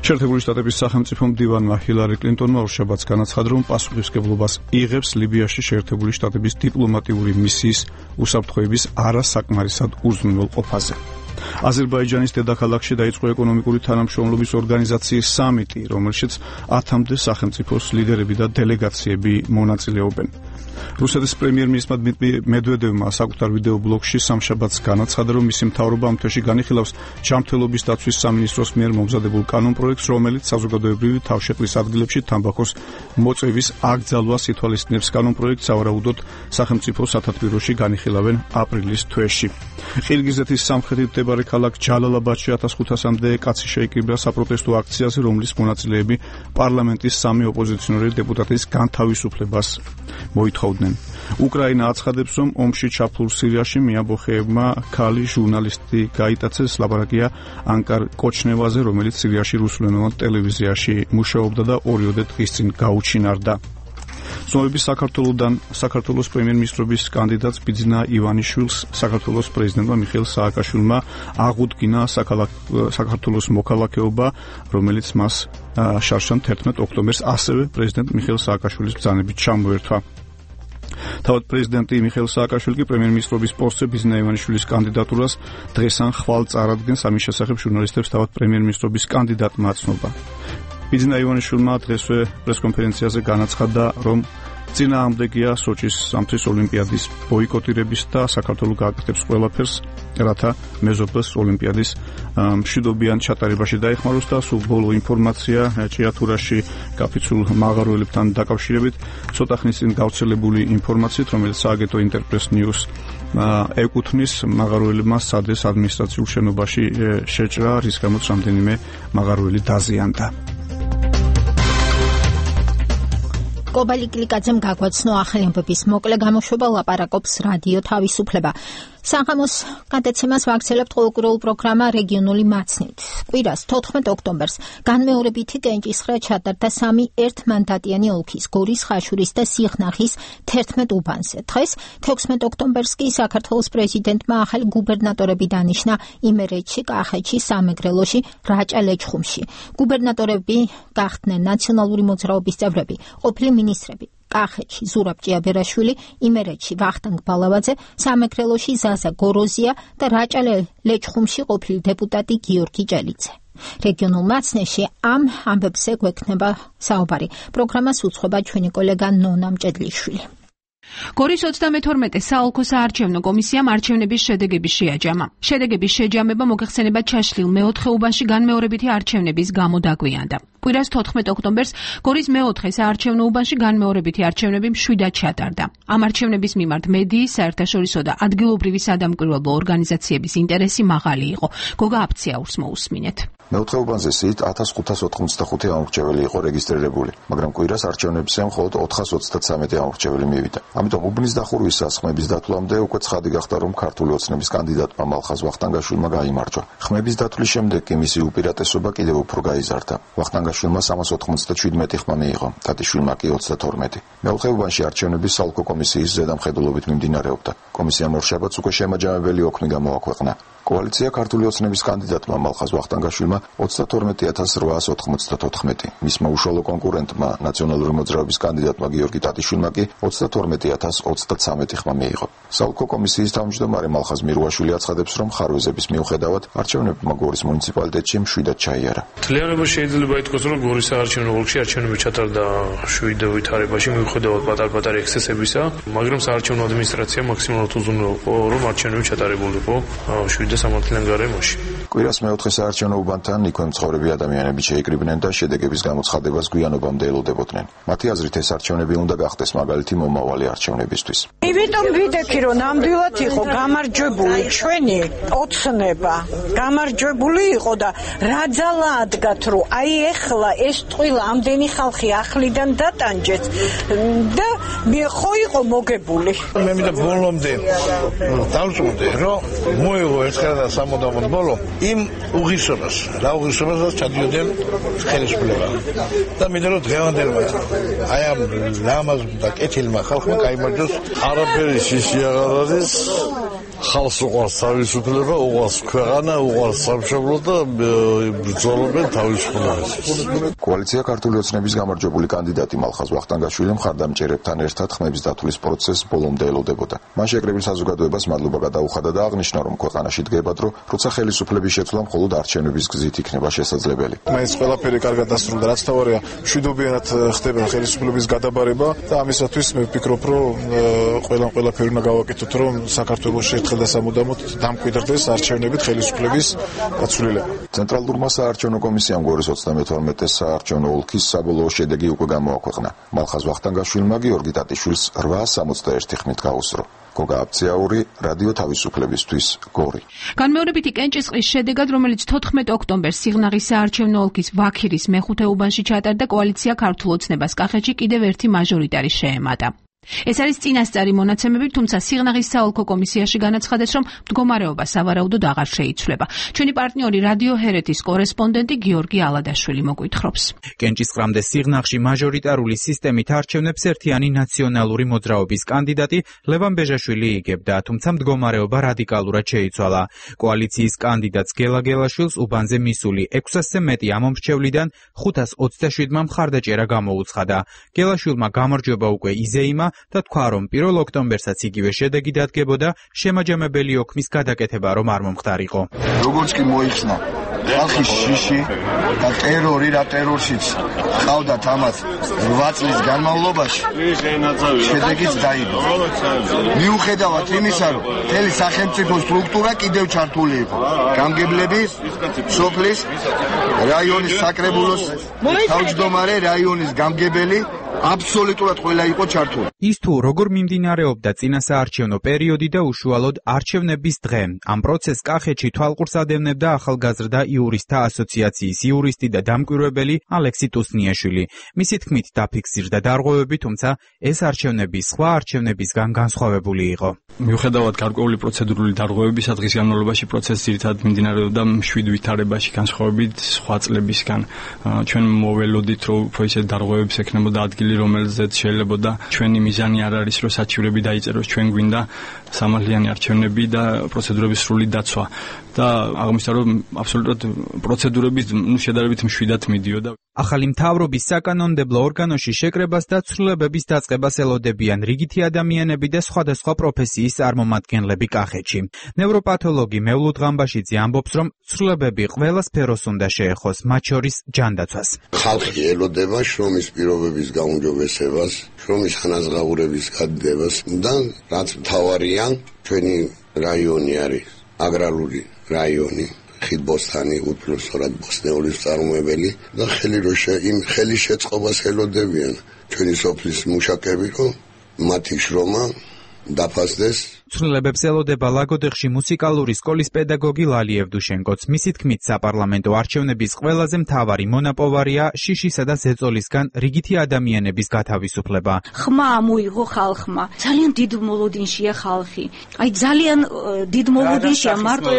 Speaker 2: შეერთებული შტატების სახელმწიფო მდივანმა ჰილარი კლინტონმა ორშაბათს განაცხადა, რომ პასუხისმგებლობას იღებს ლიბიაში შეერთებული შტატების დიპლომატიური მისიის უსაფრთხოების არასაკმარისად უზრუნველყოფაზე. აზერბაიჯანის დედაქალაქში დაიწყო ეკონომიკური თანამშრომლობის ორგანიზაციის სამიტი, რომელშიც ათამდე სახელმწიფოს ლიდერები და დელეგაციები მონაწილეობენ. რუსეთის პრემიერ-მინისტრმა დმიტრი მედვედევმა საკუთარ ვიდეო ბლოგში სამშაბათს განაცხადა, რომ მისი მთავრობა ამ თვეში განიხილავს ჯანმრთელობის დაცვის სამინისტროს მიერ მომზადებულ კანონპროექტს, რომელიც საზოგადოებრივი თავშეყრის ადგილებში თამბაქოს მოწევის აკრძალვას ითვალისწინებს. კანონპროექტს სავარაუდოდ სახელმწიფო სათათბიროში განიხილავენ აპრილის თვეში. ყირგიზეთის სამხრეთით მდებარე ქალაქ ჯალალაბადში ათას ხუთასამდე კაცი შეიკრიბა საპროტესტო აქციაზე, რომლის მონაწილეები პარლამენტის სამი ოპოზიციონერი დეპუტატის განთავისუფლებას მოითხოვდნენ. უკრაინა აცხადებს, რომ ომში ჩაფლულ სირიაში მეამბოხეებმა ქალი ჟურნალისტი გაიტაცეს. ლაპარაკია ანკარ კოჩნევაზე, რომელიც სირიაში რუსულენოვან ტელევიზიაში მუშაობდა და ორიოდე დღის წინ გაუჩინარდა. ცნობების საქართველოსთან საქართველოს პრემიერ-მინისტრობის კანდიდატს ბიძინა ივანიშვილს საქართველოს პრეზიდენტმა მიხეილ სააკაშვილმა აღუდგინა საქართველოს მოქალაქეობა, რომელიც მას შარშან თერთმეტ ოქტომბერს ასევე პრეზიდენტ მიხეილ სააკაშვილის ბრძანებით ჩამოერთვა. თავად პრეზიდენტი მიხეილ სააკაშვილი კი პრემიერ-მინისტრობის პოსტზე ბიძინა ივანიშვილის კანდიდატურას დღეს ან ხვალ წარადგენს. ამის შესახებ ჟურნალისტებს თავად პრემიერ-მინისტრობის კანდიდატმა აცნობა. ბიძინა ივანიშვილმა დღესვე პრესკონფერენციაზე განაცხადა, რომ წინააღმდეგია სოჩის სამთვის ოლიმპიადის ბოიკოტირების და საქართველოს გააკეთებს ყველაფერს, რათა მეზობელს ოლიმპიადის მშვიდობიან ჩატარებაში დაეხმაროს და სულ ბოლო ინფორმაცია ჭიათურაში გაფიცულ მაღაროელებთან დაკავშირებით ცოტა ხნის წინ გავრცელებული ინფორმაციით, რომელიც სააგენტო ინტერპრეს ნიუს ეკუთვნის, მაღაროელებმა სადეს ადმინისტრაციულ შენობაში შეჭრა, რის გამოც რამდენიმე მაღაროელი დაზიანდა.
Speaker 1: კობა ლიკლიკაძემ გაგვაცნო ახალი ამბების მოკლე გამოშვება. ლაპარაკობს რადიო თავისუფლება. საღამოს გადაცემას ვაგრძელებთ ყოველკვირეულ პროგრამა რეგიონული მაცნით. კვირას თოთხმეტ ოქტომბერს განმეორებითი კენჭისხრა ჩატარდა სამი ერთმანდატიანი ოლქის გორის, ხაშურის და სიხნახის თერთმეტ უბანზე. დღეს თექვსმეტ ოქტომბერს კი საქართველოს პრეზიდენტმა ახალი გუბერნატორები დანიშნა იმერეთში, კახეთში, სამეგრელოში, რაჭა-ლეჩხუმში. გუბერნატორები გახდნენ ნაციონალური მოძრაობის წევრები, ყოფილი მინისტრები. კახეთში ზურაბ ჭიაბერაშვილი, იმერეთში ვახტანგ ბალავაძე, სამეგრელოში ზაზა გოროზია და რაჭა-ლეჩხუმში ყოფილი დეპუტატი გიორგი ჭელიძე. რეგიონულ მაცნეში ამ ამბებზე გვექნება საუბარი. პროგრამას უძღვება ჩვენი კოლეგა ნონა მჭედლიშვილი.
Speaker 4: გორის ოცდამეთორმეტე საოლქო საარჩევნო კომისიამ არჩევნების შედეგები შეაჯამა. შედეგების შეჯამება მოგეხსენება ჩაშლილ მეოთხე უბანში განმეორებითი არჩევნების გამო დაგვიანდა. კვირას თოთხმეტ ოქტომბერს გორის მეოთხე საარჩევნო უბანში განმეორებითი არჩევნები მშვიდად ჩატარდა. ამ არჩევნების მიმართ მედიის, საერთაშორისო და ადგილობრივი სადამკვირვებლო ორგანიზაციების ინტერესი მაღალი იყო. გოგა აფციაურს მოусმინეთ.
Speaker 22: მეოთხე უბანზე სით ათას ხუთას ოთხმოცდახუთი ამორჩეველი იყო რეგისტრირებული, მაგრამ კვირას არჩევნებზე მხოლოდ ოთხას ოცდათსამეტი ამორჩეველი მივიდა. ამიტომ უბნის დახურვის სასხმების დათვლამდე უკვე ცხადი გახდა, რომ ქართული ოცნების კანდიდატმა მალხაზ ვახტანგაშვილმა გაიმარჯვა. ხმების დათვლის შემდეგ კი მისი უპირატესობა კიდევ უფრო გაიზარდა. ვახტანგაშვილმა სამას ოთხმოცდაშვიდმეტი ხმა მიიღო, თათიშვილმა კი ოცდათორმეტი. მეოთხე უბანში არჩევნები საოლქო კომისიის ზედამხედველობით მიმდინარეობდა. კომისიამ ორშაბათს უკვე შემაჯამებელი ოქმი გამოაქვეყნა. კოალიცია ქართული ოცნების კანდიდატმა მალხაზ ვახტანგაშვილმა ოცდათორმეტი ათას რვაას ოთხმოცდათოთხმეტი, მისმა უშუალო კონკურენტმა ნაციონალური მოძრაობის კანდიდატმა გიორგი ტატიშვილმა კი ოცდათორმეტი ათას ოცდაცამეტი ხმა მიიღო. საოლქო კომისიის თავმჯდომარე მალხაზ მირუაშვილი აცხადებს, რომ ხარვეზების მიუხედავად არჩევნებმა გორის მუნიციპალიტეტში მშვიდად ჩაიარა.
Speaker 6: Თლიანობა შეიძლება ითქვას, რომ გორის საარჩევნო ოლქში არჩევნები ჩატარდა შვიდ ვითარებაში მიუხედავად პატარ-პატარა ექსცესებისა, მაგრამ საარჩევნო ადმინისტრაცია მაქსიმალურად უზრუნველყო, რომ არჩევნები ჩატარებულიყო შვიდ და სამართლიან გარემოში.
Speaker 22: კვირას მეოთხე საარჩევნო უბანთან იქვე მცხოვრები ადამიანები შეიკრიბნენ და შედეგების გამოცხადებას გვიანობამდე ელოდებოდნენ. მათი აზრით ეს არჩევნები უნდა გახდეს მაგალითი მომავალი არჩევნებისთვის.
Speaker 11: იმიტომ ვიდექი, რომ ნამდვილად იყო გამარჯვებული ჩვენი ოცნება. გამარჯვებული იყო და რა ძალა ადგათ, რომ აი ეხლა ეს ტყილა ამდენი ხალხი ახლიდან დატანჯეთ და ხო იყო მოგებული.
Speaker 7: მე მინდა ბოლომდე დავწუნდე, რომ მოიღო ერთხელ და სამუდამოდ ბოლო იმ უღირსობას, რა უღირსობასაც ჩადიოდნენ ხელისუფლება. და მინდა რომ დღევანდელმა აი ამ ლამაზ და კეთილმა ხალხმა გაიმარჯვოს.
Speaker 23: არაფერი შიში აღარ არის. ხალხს უყვარს თავისუფლება, უყვარს ქვეყანა, უყვარს სამშობლო და ბრძოლობენ თავისუფლებისთვის.
Speaker 22: კოალიცია ქართული ოცნების გამარჯვებული კანდიდატი მალხაზ ვახტანგაშვილი მხარდამჭერებთან ერთად ხმების დათვლის პროცესს ბოლომდე ელოდებოდა. მან შეკრებილ საზოგადოებას მადლობა გადაუხადა და აღნიშნა, რომ ქვეყანაში დგება დრო, როცა ხელისუფლების შეცვლა მხოლოდ არჩევნების გზით იქნება შესაძლებელი.
Speaker 24: მაინც ყველაფერი კარგად დასრულდა, რაც თავარია, მშვიდობიანად ხდება ხელისუფლების გადაბარება და ამისათვის მე ვფიქრობ, რომ ყველამ ყველაფერი უნდა გავაკეთოთ, რომ საქართველოში ერთხელ და სამუდამოდ დამკვიდრდეს არჩევნებით ხელისუფლების დაცვლილება.
Speaker 22: ცენტრალურმა საარჩევნო კომისიამ გორის ოცდამეთორმეტე საარჩევნო ოლქის საბოლოო შედეგი უკვე გამოაქვეყნა. მალხაზ ვახტანგაშვილმა გიორგი ტატიშვილს რვაას სამოცდაერთი ხმით გაუსწრო. გოგა აფციაური, რადიო თავისუფლებისთვის, გორი.
Speaker 4: განმეორებითი კენჭისყრის შედეგად, რომელიც თოთხმეტ ოქტომბერს სიღნაღის საარჩევნო ოლქის ვაქირის მეხუთე უბანში ჩატარდა, კოალიცია ქართულ ოცნებას კახეთში კიდევ ერთი მაჟორიტარი შეემატა. ეს არის წინასწარი მონაცემები, თუმცა სიღნაღის საოლქო კომისიაში განაცხადეს, რომ მდგომარეობა სავარაუდოდ აღარ შეიცვლება. ჩვენი პარტნიორი რადიო ჰერეთის კორესპონდენტი გიორგი ალადაშვილი მოგვითხრობს.
Speaker 25: კენჭისყრამდე სიღნაღში მაჟორიტარული სისტემით არჩევნებს ერთიანი ნაციონალური მოძრაობის კანდიდატი ლევან ბეჟაშვილი იგებდა, თუმცა მდგომარეობა რადიკალურად შეიცვალა. კოალიციის კანდიდატს გელა გელაშვილს უბანზე მისული ექვსასზე მეტი ამომრჩევლიდან ხუთას ოცდაშვიდმა მხარდაჭერა გამოუცხადა. გელაშვილმა გამარჯვება უკვე იზეიმა და თქვა, რომ პირველ ოქტომბერსაც იგივე შედეგი დადგებოდა, შემაჯამებელი ოქმის გადაკეთება რომ არ მომხდარიყო.
Speaker 26: როგორც კი მოიხსნა ხალხის შიში და ტერორი რა ტერორშიც ყავდათ ამას რვა წლის განმავლობაში, შედეგიც დაიდო. მიუხედავად იმისა, რომ მთელი სახელმწიფო სტრუქტურა კიდევ ჩართული იყო. გამგებლები, სოფლის, რაიონის საკრებულოს თავმჯდომარე, რაიონის გამგებელი აბსოლუტურად ყველა იყო ჩართული.
Speaker 25: ის თუ როგორ მიმდინარეობდა წინა საარჩევნო პერიოდი და უშუალოდ არჩევნების დღე, ამ პროცესს კახეთში თვალყურს ადევნებდა ახალგაზრდა იურისტთა ასოციაციის იურისტი და დამკვირვებელი ალექსი ტუსნიაშვილი. მისი თქმით დაფიქსირდა დარღვევები, თუმცა ეს არჩევნები სხვა არჩევნებისგან განსხვავებული იყო.
Speaker 2: მიუხედავად გარკვეული პროცედურული დარღვევების დღის განმავლობაში პროცესი ძირითადად მიმდინარეობდა მშვიდ ვითარებაში, განსხვავებით სხვა წლებისგან. ჩვენ მოველოდით, რომ უფრო ისე დარღვევებს ექნებოდა ადგილი, რომელზეც შეიძლებოდა ჩვენი მიზანი არ არის, რომ საჩივრები დაიწეროს, ჩვენ გვინდა სამართლიანი არჩევნები და პროცედურების სრული დაცვა. და აღმოჩნდა, რომ აბსოლუტურად პროცედურები ნუ შედარებით მშვიდად მიდიოდა.
Speaker 25: ახალი მთავრობის საკანონმდებლო ორგანოში შეკრებას და ცვლილებების დაწყებას ელოდებიან რიგითი ადამიანები და სხვადასხვა პროფესიის წარმომადგენლები კახეთში. ნევროპათოლოგი მევლუდ ღამბაშიძე ამბობს, რომ ცვლილებები ყველა სფეროს უნდა შეეხოს, მათ შორის ჯანდაცვას.
Speaker 27: ხალხი ელოდება შრომის პირობების გაუმჯობესებას, შრომის ხანაზღაურების გადიდებას და რაც მთავარია, ჩვენი რაიონი არის აგრარული რაიონი, ხიდბოსთანი, უპირველესად ბოსნეულის წარმოებელი და ხელი რო იმ ხელის შეწყობას ელოდებიან ჩვენი სოფლის მუშაკები, რომ მათი შრომა დაფასდეს.
Speaker 25: ცვლილებებს ელოდება ლაგოდეხში მუსიკალური სკოლის პედაგოგი ლალი ევდუშენკოც. მისი თქმით, საპარლამენტო არჩევნების ყველაზე მთავარი მონაპოვარია შიშისა და ზეწოლისგან რიგითი ადამიანების გათავისუფლება.
Speaker 28: ხმა მოიღო ხალხმა. ძალიან დიდ მოლოდინშია ხალხი. აი ძალიან დიდ მოლოდინშია მარტო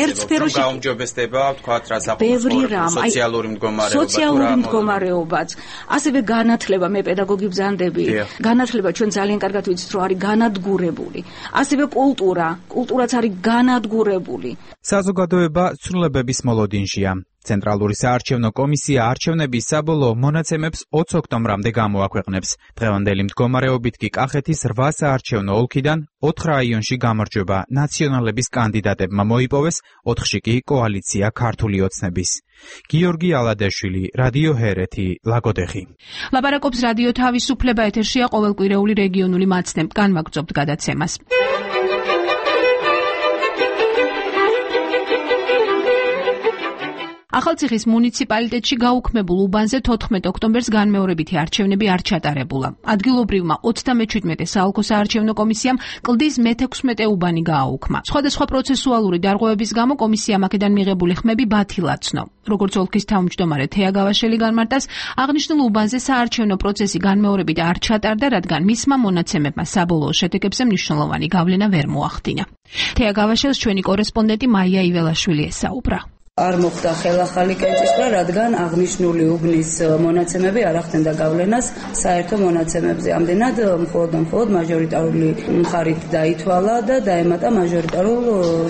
Speaker 28: ერთ სფეროში
Speaker 25: გაუმჯობესდება, ვთქვათ, რა
Speaker 28: საფუძვლო
Speaker 25: სოციალური მდგომარეობა.
Speaker 28: სოციალური მდგომარეობაც. ასევე განათლება, მე პედაგოგი ბრძანდები. განათლება ჩვენ ძალიან კარგად ვიცით, რომ არის განადგურებული. ასევე კულტურა, კულტურაც არის განადგურებული.
Speaker 25: საზოგადოება ცვლილებების მოლოდინშია. ცენტრალური საარჩევნო კომისია არჩევნების საბოლოო მონაცემებს ოცი ოქტომბრამდე გამოაქვეყნებს. დღევანდელი მდგომარეობით კი კახეთის რვა საარჩევნო ოლქიდან ოთხ რაიონში გამარჯვება ნაციონალების კანდიდატებმა მოიპოვეს, ოთხში კი კოალიცია ქართული ოცნების. გიორგი ალადაშვილი, რადიო ჰერეთი, ლაგოდეხი.
Speaker 4: ლაპარაკობს რადიო თავისუფლება, ეთერშია ყოველკვირეული რეგიონული მაცნებ. განვაგრძობთ გადაცემას. ახალციხის მუნიციპალიტეტში გაუქმებულ უბანზე თოთხმეტ ოქტომბერს განმეორებითი არჩევნები არ ჩატარებულა. ადგილობრივმა ოცდამეჩვიდმეტე საოლქო საარჩევნო კომისიამ კლდის მეთექვსმეტე უბანი გააუქმა. სხვადასხვა პროცესუალური დარღვევების გამო კომისიამ აქედან მიღებული ხმები ბათილად ცნო. როგორც ოლქის თავმჯდომარე თეა გავაშელი განმარტავს, აღნიშნულ უბანზე საარჩევნო პროცესი განმეორებით არ ჩატარდა, რადგან მისმა მონაცემებმა საბოლოო შედეგებზე მნიშვნელოვანი გავლენა ვერ მოახდინა. თეა გავაშელს ჩვენი კორესპონდენტი მაია იველაშვილი ესაუბრა.
Speaker 5: არ მოხდა ხელახალი კენჭისყრა, რადგან აღნიშნული უბნის მონაცემები არ ახდენდა გავლენას საერთო მონაცემებზე. ამდენად მხოლოდ და მხოლოდ მაჟორიტარული მხარით დაითვალა და დაემატა მაჟორიტარულ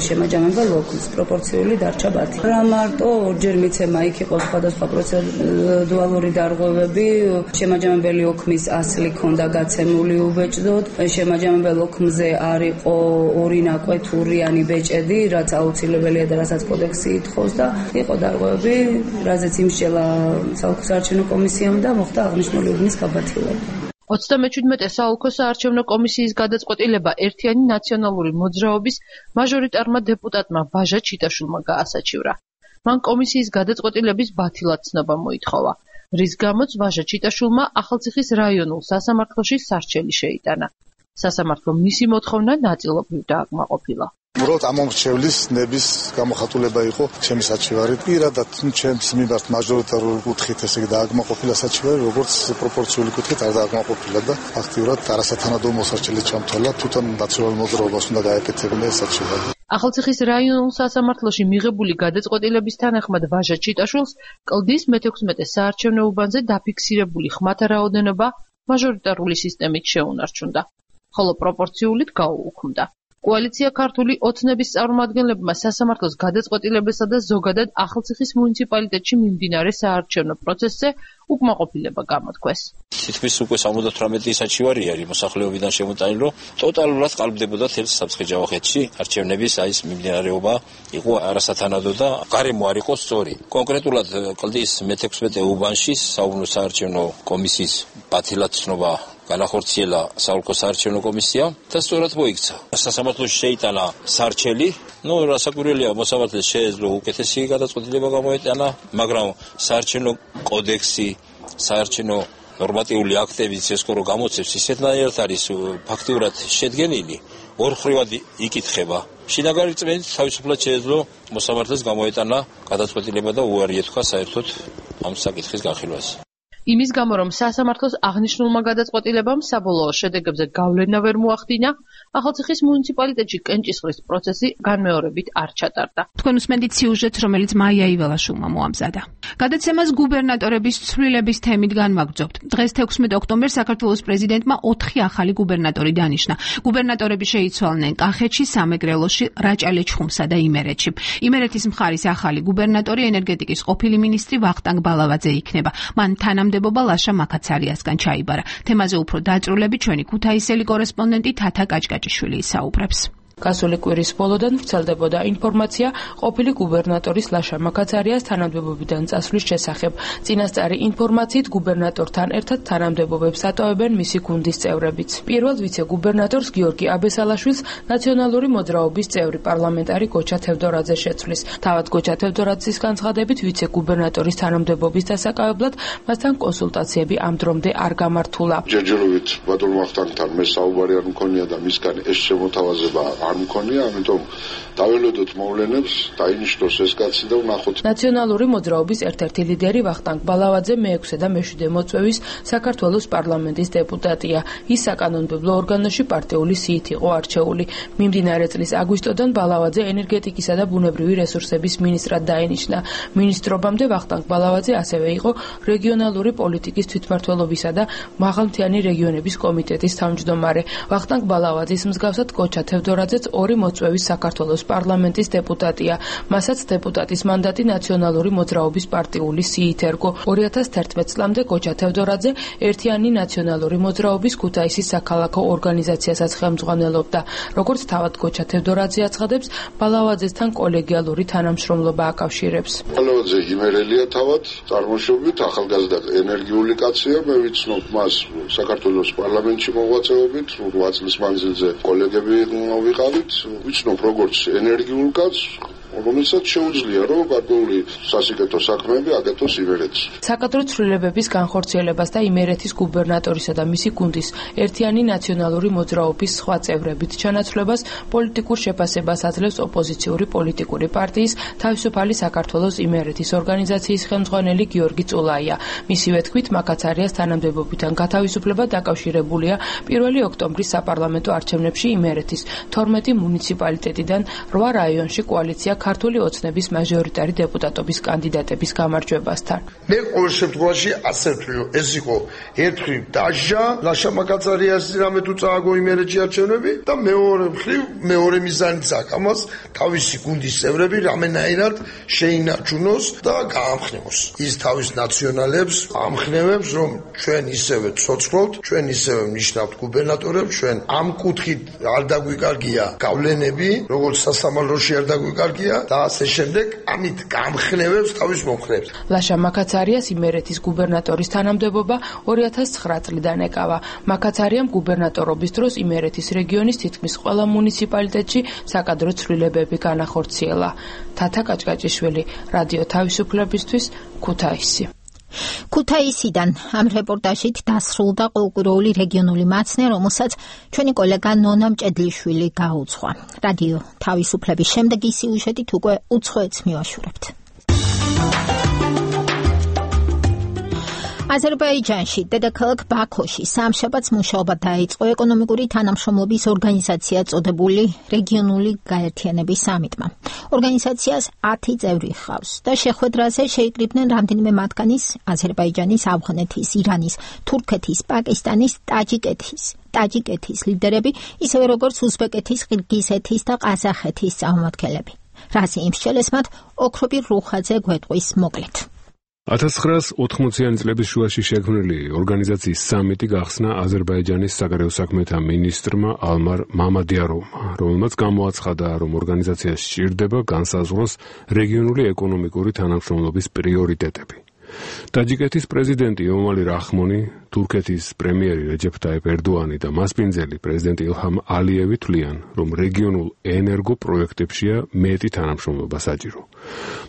Speaker 5: შემაჯამებელ ოლქს, პროპორციული დარჩა ბათი. რა მარტო ორჯერ მიცემა იქ იყო სხვადასხვა პროცედურალური დარღვევები, შემაჯამებელი ოლქის ასლი ქონდა გაცემული უბეჭდოდ, შემაჯამებელ ოლქზე არ იყო ორი ნაკვეთურიანი ბეჭედი, რაც აუცილებელია და რასაც კოდექსი ითხოვს. და იყო დარღვევები, რაზეც იმსჯელა საოლქო საარჩევნო კომისიამ და მოხდა აღნიშნული უბნის გაბათილება.
Speaker 8: ოცდამეჩვიდმეტე საოლქო საარჩევნო კომისიის გადაწყვეტილება ერთიანი ნაციონალური მოძრაობის მაჟორიტარმა დეპუტატმა ბაჟა ჩიტაშულმა გაასაჩივრა. მან კომისიის გადაწყვეტილების ბათილად ცნობა მოითხოვა, რის გამოც ბაჟა ჩიტაშულმა ახალციხის რაიონულ სასამართლოში სარჩელი შეიტანა. სასამართლომ მისი მოთხოვნა ნაწილობრივ დააკმაყოფილა.
Speaker 24: უბრალოდ ამ მომრჩევლის ნების გამოხატულება იყო ჩემი საჩივარი. პირადად ჩემს მიმართ მაჟორიტარული კუთხით ესე იგი დააკმაყოფილა საჩივარი, როგორც პროპორციული კუთხით არ დააკმაყოფილა და ფაქტიურად არასათანადო მოსარჩელი ჩამთვალა, თვითონ ნაციონალურ მოძრაობას უნდა გაეკეთებინა ეს საჩივარი.
Speaker 8: ახალციხის რაიონულ სასამართლოში მიღებული გადაწყვეტილების თანახმად ვაჟა ჩიტაშულს კლდის მეთექვსმეტე საარჩევნო უბანზე დაფიქსირებული ხმათა რაოდენობა მაჟორიტარული სისტემით შეუნარჩუნდა, ხოლო პროპორციულით გაუუქმდა. კოალიცია ქართული ოცნების წარმომადგენლებმა სასამართლოს გადაწყვეტილებასა და ზოგადად ახალციხის მუნიციპალიტეტში მიმდინარე საარჩევნო პროცესზე უკმაყოფილება გამოთქვეს.
Speaker 9: თითქმის უკვე სამოცდათვრამეტი საჩივარი არის მოსახლეობიდან შემოტანილი, რომ ტოტალურად ყალბდებოდა თელს სამცხე-ჯავახეთში არჩევნების აი ეს მიმდინარეობა იყო არასათანადო და გარემო არ იყო სწორი. კონკრეტულად კლდის მეთექვსმეტე უბანში საუბნო საარჩევნო კომისიის ბათილად ცნობა განახორციელა საოლქო საარჩევნო კომისია და სწორად მოიქცა. სასამართლოში შეიტანა სარჩელი, ну, რასაკვირველია, მოსამართლეს შეეძლო უკეთესი გადაწყვეტილება გამოეტანა, მაგრამ საარჩევნო კოდექსი, საარჩევნო ნორმატიული აქტები ცესკო რო გამოცემს, ისეთნაირად არის ფაქტიურად შედგენილი, ორხრივად იკითხება. შინაგანი რწმენით თავისუფლად შეეძლო მოსამართლეს გამოეტანა გადაწყვეტილება და უარი ეთქვა საერთოდ ამ საკითხის განხილვას.
Speaker 8: იმის გამო, რომ სასამართლოს აღნიშნულმა გადაწყვეტილებამ საბოლოო შედეგებზე გავლენა ვერ მოახდინა, ახალციხის მუნიციპალიტეტში კენჭისყრის პროცესი განმეორებით არ ჩატარდა.
Speaker 4: თქვენ უსმენთ სიუჟეტს, რომელიც მაია იველაშვილმა მოამზადა. გადაცემას გუბერნატორების ცვლილების თემით განვაგრძობთ. დღეს თექვსმეტ ოქტომბერს საქართველოს პრეზიდენტმა ოთხი ახალი გუბერნატორი დანიშნა. გუბერნატორები შეიცვალნენ კახეთში, სამეგრელოში, რაჭა-ლეჩხუმსა და იმერეთში. იმერეთის მხარის ახალი გუბერნატორი ენერგეტიკის ყოფილი მინისტრი ვახტანგ ბალავაძე იქნება. მან თანამდებობა ლაშა მაკაცარიასგან ჩაიბარა. თემაზე უფრო დაწვრილებით ჩვენი ქუთაისელი კორესპონდენტი თათა კაჭკაჭიშვილი ისაუბრებს.
Speaker 8: გასული კვირის ბოლოდან ვრცელდებოდა ინფორმაცია ყოფილი გუბერნატორის ლაშა მაკაცარიას თანამდებობიდან წასვლის შესახებ. წინასწარი ინფორმაციით გუბერნატორთან ერთად თანამდებობებს ატოვებენ მისი გუნდის წევრებიც. პირველ ვიცე-გუბერნატორს გიორგი აბესალაშვილს ნაციონალური მოძრაობის წევრი პარლამენტარი გოჩა თევდორაძე შეცვლის. თავად გოჩა თევდორაძის განცხადებით ვიცე-გუბერნატორის თანამდებობის დასაკავებლად მასთან კონსულტაციები ამ დრომდე არ გამართულა.
Speaker 12: ჯერჯერობით ბატონ ვახტანგთან მე საუბარი არ მქონია და მისგან ეს შემოთავაზება
Speaker 10: არ მქონია, ამიტომ დაველოდოთ მოვლენებს, დაინიშნოს ეს კაცი და ვნახოთ.
Speaker 8: ნაციონალური მოძრაობის ერთ-ერთი ლიდერი ვახტანგ ბალავაძე მეექვსე და მეშვიდე მოწვევის საქართველოს პარლამენტის დეპუტატია. ის საკანონმდებლო ორგანოში პარტიული სიით იყო არჩეული. მიმდინარე წლის აგვისტოდან ბალავაძე ენერგეტიკისა და ბუნებრივი რესურსების მინისტრად დაინიშნა. მინისტრობამდე ვახტანგ ბალავაძე ასევე იყო რეგიონალური პოლიტიკის თვითმმართველობისა და მაღალმთიანი რეგიონების კომიტეტის თავმჯდომარე. ვახტანგ ბალავაძის მსგავსად კოჩა თევდორაძეც ორი მოწვევის საქართველოს პარლამენტის დეპუტატია. მასაც დეპუტატის მანდატი ნაციონალური მოძრაობის პარტიული სიით ერგო. ორი ათას თერთმეტ წლამდე კოჩა თევდორაძე ერთიანი ნაციონალური მოძრაობის ქუთაისის საქალაქო ორგანიზაციასაც ხელმძღვანელობდა. როგორც თავად კოჩა თევდორაძე აცხადებს, ბალავაძესთან კოლეგიალური თანამშრომლობა აკავშირებს.
Speaker 10: ბალავაძე იმერელია თავად, წარმოშობით ახალგაზრდა ენერგიული კაცია, მე ვიცნობ მას საქართველოს პარლამენტში მოღვაწეობით, რვა წლის მანძილზე კოლეგები ვიყავით, ვიცნობ როგორც ენერგიულ კაცს, რომელსაც შეუძლია რომ გარკვეული სასიკეთო საქმეები აკეთოს იმერეთში.
Speaker 8: საკადრო ცვლილებების განხორციელებას და იმერეთის გუბერნატორისა და მისი გუნდის ერთიანი ნაციონალური მოძრაობის სხვა წევრებით ჩანაცვლებას პოლიტიკურ შეფასებას აძლევს ოპოზიციური პოლიტიკური პარტიის თავისუფალი საქართველოს იმერეთის ორგანიზაციის ხელმძღვანელი გიორგი წულაია. მისივე თქმით, მაკაცარიას თანამდებობიდან გათავისუფლება დაკავშირებულია პირველი ოქტომბრის საპარლამენტო არჩევნებში იმერეთის თორმეტი მუნიციპალიტეტიდან რვა რაიონში კოალიცია ქართული ოცნების მაჟორიტარი დეპუტატობის კანდიდატების გამარჯვებასთან.
Speaker 27: მე ყოველ შემთხვევაში ასე ვთვლი, ეს იყო ერთხელ დაჟა ლაშა მაკაცარიას რამე თუ წააგო იმერეთში არჩევნები და მეორე მხრივ მეორე მიზანიც აქვს ამას თავისი გუნდის წევრები რამენაირად შეინარჩუნოს და გაამხნევოს. ის თავის ნაციონალებს ამხნევებს, რომ ჩვენ ისევე ცოცხლობთ, ჩვენ ისევე ნიშნავთ გუბერნატორებს, ჩვენ ამ კუთხით არ დაგვიკარგია გავლენები, როგორც სასამართლოში არ დაგვიკარგია და ასე შემდეგ, ამით გამხნევებს თავის მომხნევებს.
Speaker 8: ლაშა მაკაცარიას იმერეთის გუბერნატორის თანამდებობა ორი ათას ცხრა წლიდან ეკავა. მაკაცარიამ გუბერნატორობის დროს იმერეთის რეგიონის თითქმის ყველა მუნიციპალიტეტში საკადრო ცვლილებები განახორციელა. თათა კაჭკაჭიშვილი, რადიო თავისუფლებისთვის, ქუთაისი.
Speaker 1: ქუთაისიდან ამ რეპორტაჟით დასრულდა ყოველკვირეული რეგიონული მაცნე, რომელსაც ჩვენი კოლეგა ნონა მჭედლიშვილი გაუძღვა. რადიო თავისუფლების შემდეგი სიუჟეტით უკვე უცხოეთს მივაშურებთ. აზერბაიჯანში, დედაქალაქ ბაქოში სამშაბათს მუშაობა დაიწყო ეკონომიკური თანამშრომლობის ორგანიზაცია წოდებული რეგიონული გაერთიანების სამიტმა. ორგანიზაციას ათი წევრი ჰყავს და შეხვედრაზე შეიკრიბნენ რამდენიმე მათგანის აზერბაიჯანის, ავღანეთის, ირანის, თურქეთის, პაკისტანის, ტაჯიკეთის, ტაჯიკეთის ლიდერები, ისევე როგორც უზბეკეთის, ყირგიზეთის და ყაზახეთის წარმომადგენლები. რაზი იმშელესმათ ოქრობი რუხაძე გვეტყვის მოკლედ.
Speaker 12: ათას ცხრაას ოთხმოციანი წლების შუაში შექმნილი ორგანიზაციის სამიტი გახსნა აზერბაიჯანის საგარეო საქმეთა მინისტრმა ალმარ მამადიაროვმა, რომელმაც გამოაცხადა, რომ ორგანიზაციას სჭირდება განსაზღვროს რეგიონული ეკონომიკური თანამშრომლობის პრიორიტეტები. ტაჯიკეთის პრეზიდენტი ემომალი რახმონი, თურქეთის პრემიერი რეჯეფ ტაიპ ერდოანი და მასპინძელი პრეზიდენტი ილჰამ ალიევი თვლიან, რომ რეგიონულ ენერგო პროექტებშია მეტი თანამშრომლობა საჭირო.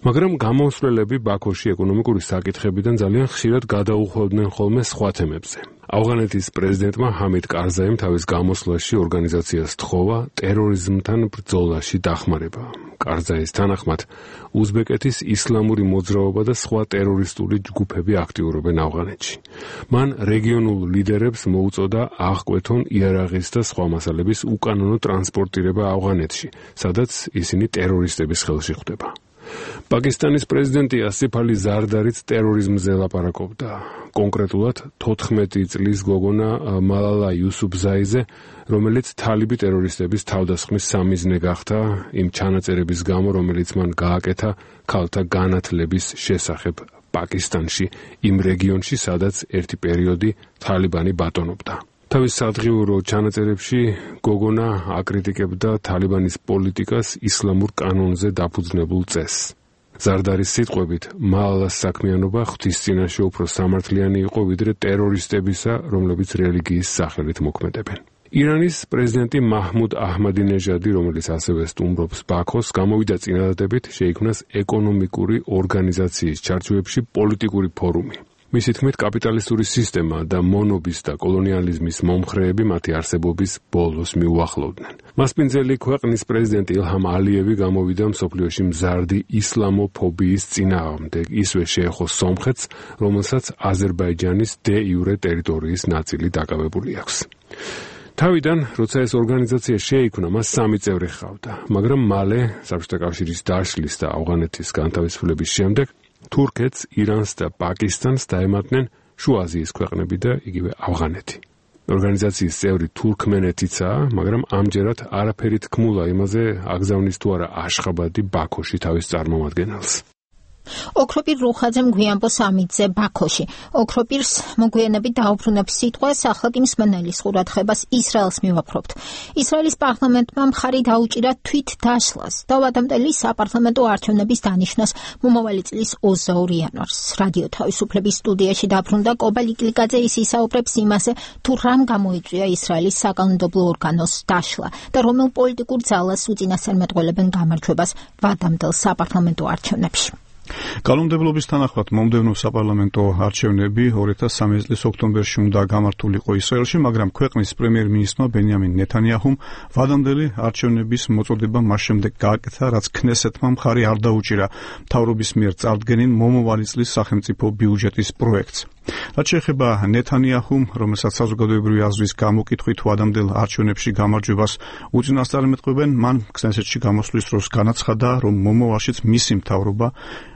Speaker 12: მაგრამ გამოსვლელები ბაქოში ეკონომიკური საკითხებიდან ძალიან ხშირად გადაუხვევდნენ ხოლმე სხვა თემებზე. ავღანეთის პრეზიდენტმა ჰამიდ კარზაიმ თავის გამოსვლაში ორგანიზაციას თხოვა ტერორიზმთან ბრძოლაში დახმარება. კარზაის თანახმად, უზბეკეთის ისლამური მოძრაობა და სხვა ტერორისტული ჯგუფები აქტიურობენ ავღანეთში. მან რეგიონულ ლიდერებს მოუწოდა აღკვეთონ იარაღის და სხვა მასალების უკანონო ტრანსპორტირება ავღანეთში, სადაც ისინი ტერორისტების ხელში ხვდება. პაკისტანის პრეზიდენტი ასიფ ალი ზარდარიც ტერორიზმზე ლაპარაკობდა. კონკრეტულად თოთხმეტი წლის გოგონა მალალა იუსუფზაიზე, რომელიც თალიბი ტერორისტების თავდასხმის სამიზნე გახდა იმ ჩანაწერების გამო, რომელიც მან გააკეთა ქალთა განათლების შესახებ პაკისტანში, იმ რეგიონში, სადაც ერთი პერიოდი თალიბანი ბატონობდა. თავის სადღიურო ჩანაწერებში გოგონა აკრიტიკებდა თალიბანის პოლიტიკას ისლამურ კანონზე დაფუძნებულ წესს. ზარდარის სიტყვებით, მალალას საქმიანობა ღვთის წინაშე უფრო სამართლიანი იყო ვიდრე ტერორისტებისა, რომლებიც რელიგიის სახელით მოქმედებენ. ირანის პრეზიდენტი მაჰმუდ აჰმადინეჟადი, რომელიც ასევე სტუმრობს ბაქოს, გამოვიდა წინადადებით, შეიქმნას ეკონომიკური ორგანიზაციის ჩარჩოებში პოლიტიკური ფორუმი. მისი თქმით, კაპიტალისტური სისტემა და მონობის და კოლონიალიზმის მომხრეები მათი არსებობის ბოლოს მიუახლოვდნენ. მასპინძელი ქვეყნის პრეზიდენტი ილჰამ ალიევი გამოვიდა მსოფლიოში მზარდი ისლამოფობიის წინააღმდეგ, ისვე შეეხო სომხეთს, რომელსაც აზერბაიჯანის დე იურე ტერიტორიის ნაწილი დაკავებული აქვს. თავიდან, როცა ეს ორგანიზაცია შეიქმნა, მას სამი წევრი ჰყავდა, მაგრამ მალე საბჭოთა კავშირის დაშლის და ავღანეთის განთავისუფლების შემდეგ თურქეთს, ირანს და პაკისტანს დაემატნენ შუა აზიის ქვეყნები და იგივე ავღანეთი. ორგანიზაციის წევრი თურქმენეთიცაა, მაგრამ ამჯერად არაფერი თქმულა იმაზე, აგზავნის თუ არა აშხაბადი ბაქოში თავის წარმომადგენელს.
Speaker 1: ოქროპիր რუხაძემ გვიანბო სამიძე ბაქოში. ოქროპირს მოგვიანებით დაუბრუნებს სიტყვას, ახლა კი მსმენელის ყურადღებას ისრაელს მივაფრობთ. ისრაელის პარლამენტმა მხარი დაუჭირა თვით დაშლას და ვადამდელი საპარლამენტო არჩევნების დანიშნას მომავალი წლის ოცდაორი იანვარს. რადიო თავისუფლების სტუდიაში დაბრუნდა კობა ლიკლიკაძე, ის ისაუბრებს იმაზე, თუ რამ გამოიწვია ისრაელის საკანონმდებლო ორგანოს დაშლა და რომელ პოლიტიკურ ძალას უწინასწარმეტყველებენ გამარჯვებას ვადამდელ საპარლამენტო არჩევნებში.
Speaker 2: კანონმდებლობის თანახმად მომდევნო საპარლამენტო არჩევნები ორი ათას სამი წლის ოქტომბერში უნდა გამართულიყო ისრაელში, მაგრამ ქვეყნის პრემიერ-მინისტრმა ბენიამინ ნეთანიაჰუმ ვადამდელი არჩევნების მოწოდება მას შემდეგ გააკეთა, რაც ქნესეთმა მხარი არ დაუჭირა მთავრობის მიერ წარდგენილ მომავალი წლის სახელმწიფო ბიუჯეტის პროექტს. რაც შეეხება ნეთანიაჰუმ, რომელსაც საზოგადოებრივი აზრის გამოკითხვით ვადამდელ არჩევნებში გამარჯვებას უწინასწარმეტყველებენ, მან ქნესეთში გამოსვლის დროს განაცხადა, რომ მომავალშიც მისი მთავრობა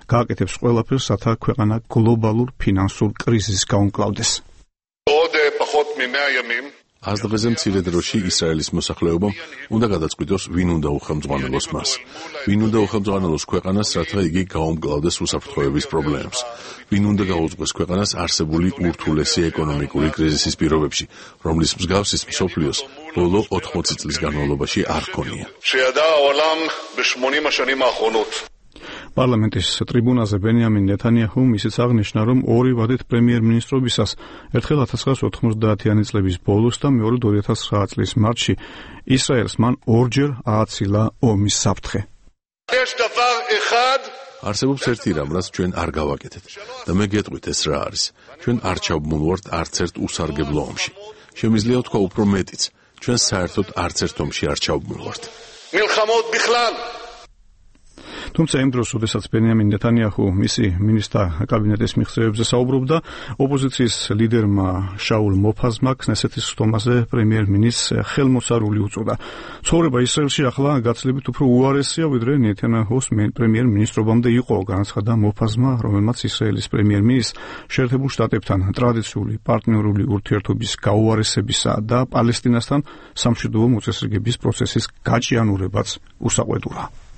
Speaker 2: გააკეთებს ყველაფერს, რათა ქვეყანა გლობალურ ფინანსურ კრიზისს გაუმკლავდეს.
Speaker 3: ას დღეზე მცირე დროში ისრაელის მოსახლეობამ უნდა გადაწყვიტოს, ვინ უნდა უხელმძღვანელოს მას. ვინ უნდა უხელმძღვანელოს ქვეყანას, რათა იგი გაუმკლავდეს უსაფრთხოების პრობლემებს. ვინ უნდა გაუძღვეს ქვეყანას არსებული ურთულესი ეკონომიკური კრიზისის პირობებში, რომლის მსგავსის მსოფლიოს ბოლო ოთხმოცი წლის განმავლობაში არ ჰქონია.
Speaker 2: პარლამენტის ტრიბუნაზე ბენიამინ ნეთანიაჰუმ ისიც აღნიშნა, რომ ორი ვადით პრემიერ-მინისტრობისას, ერთხელ ათას ცხრაასი ოცდაათიანი წლების ბოლოს და მეორედ ორი ათას ცხრა წლის მარტში, ისრაელს მან ორჯერ ააცილა ომის საფრთხე.
Speaker 3: არსებობს ერთი რამ, რაც ჩვენ არ გავაკეთეთ და მე გეტყვით ეს რა არის. ჩვენ არ ჩავმოვართ არც ერთ უსარგებლო ომში. შემიძლია ვთქვა უფრო მეტიც, ჩვენ საერთოდ არც ერთ ომში არ ჩავმოვართ.
Speaker 2: თუმცა იმ დროს, როდესაც ბენიამინ ნეთანიაჰუ მისი მინისტრთა კაბინეტის მიღწევებზე საუბრობდა, ოპოზიციის ლიდერმა შაულ მოფაზმა ქნესეთის სტომაზე პრემიერ-მინისტრს ხელმოსარული უწოდა. ცხოვრება ისრაელში ახლა გაცილებით უფრო უარესია, ვიდრე ნეთანიაჰუს პრემიერ-მინისტრობამდე იყო, განაცხადა მოფაზმა, რომელმაც ისრაელის პრემიერ-მინისტრს შეერთებულ შტატებთან ტრადიციული პარტნიორული ურთიერთობის გაუარესებისა და პალესტინასთან სამშვიდობო მოწესრიგების პროცესის გაჭიანურებაც უსაყვედურა.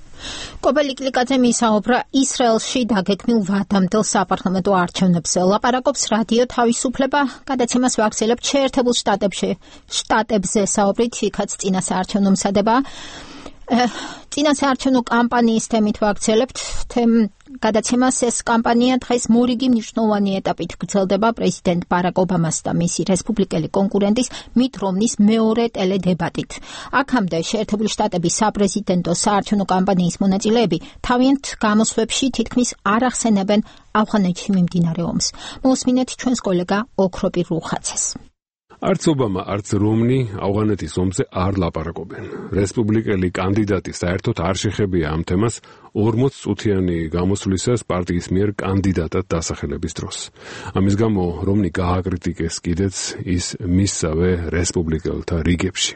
Speaker 1: კობა ლიკლიკაძემ ისაუბრა ისრაელში დაგეგმილ ვადამდელ საპარლამენტო არჩევნებზე. ლაპარაკობს რადიო თავისუფლება, გადაცემას ვაგრძელებთ შეერთებულ შტატებში. შტატებზე საუბრით, იქაც წინასაარჩევნო მსადება. წინასაარჩევნო კამპანიის თემით ვაგრძელებთ გადაცემას. ეს კამპანია დღეს მორიგი მნიშვნელოვანი ეტაპით გრძელდება პრეზიდენტ ბარაკ ობამას და მისი რესპუბლიკელი კონკურენტის მით რომნის მეორე ტელედებატით. აქამდე შეერთებული შტატების საპრეზიდენტო საარჩევნო კამპანიის მონაწილეები თავიანთ გამოსვლებში თითქმის არ ახსენებენ ავღანეთში მიმდინარე ომს. მოусმინეთ ჩვენს კოლეგა ოქროპիր რუხაძეს.
Speaker 12: არც ობამა, არც რომნი ავღანეთის ომზე არ ლაპარაკობენ. რესპუბლიკელი კანდიდატი საერთოდ არ შეხებია ამ თემას ორმოც წუთიანი გამოსვლისას პარტიის მიერ კანდიდატად დასახელების დროს. ამის გამო რომნი გააკრიტიკეს კიდეც ის მისსავე რესპუბლიკელთა რიგებში.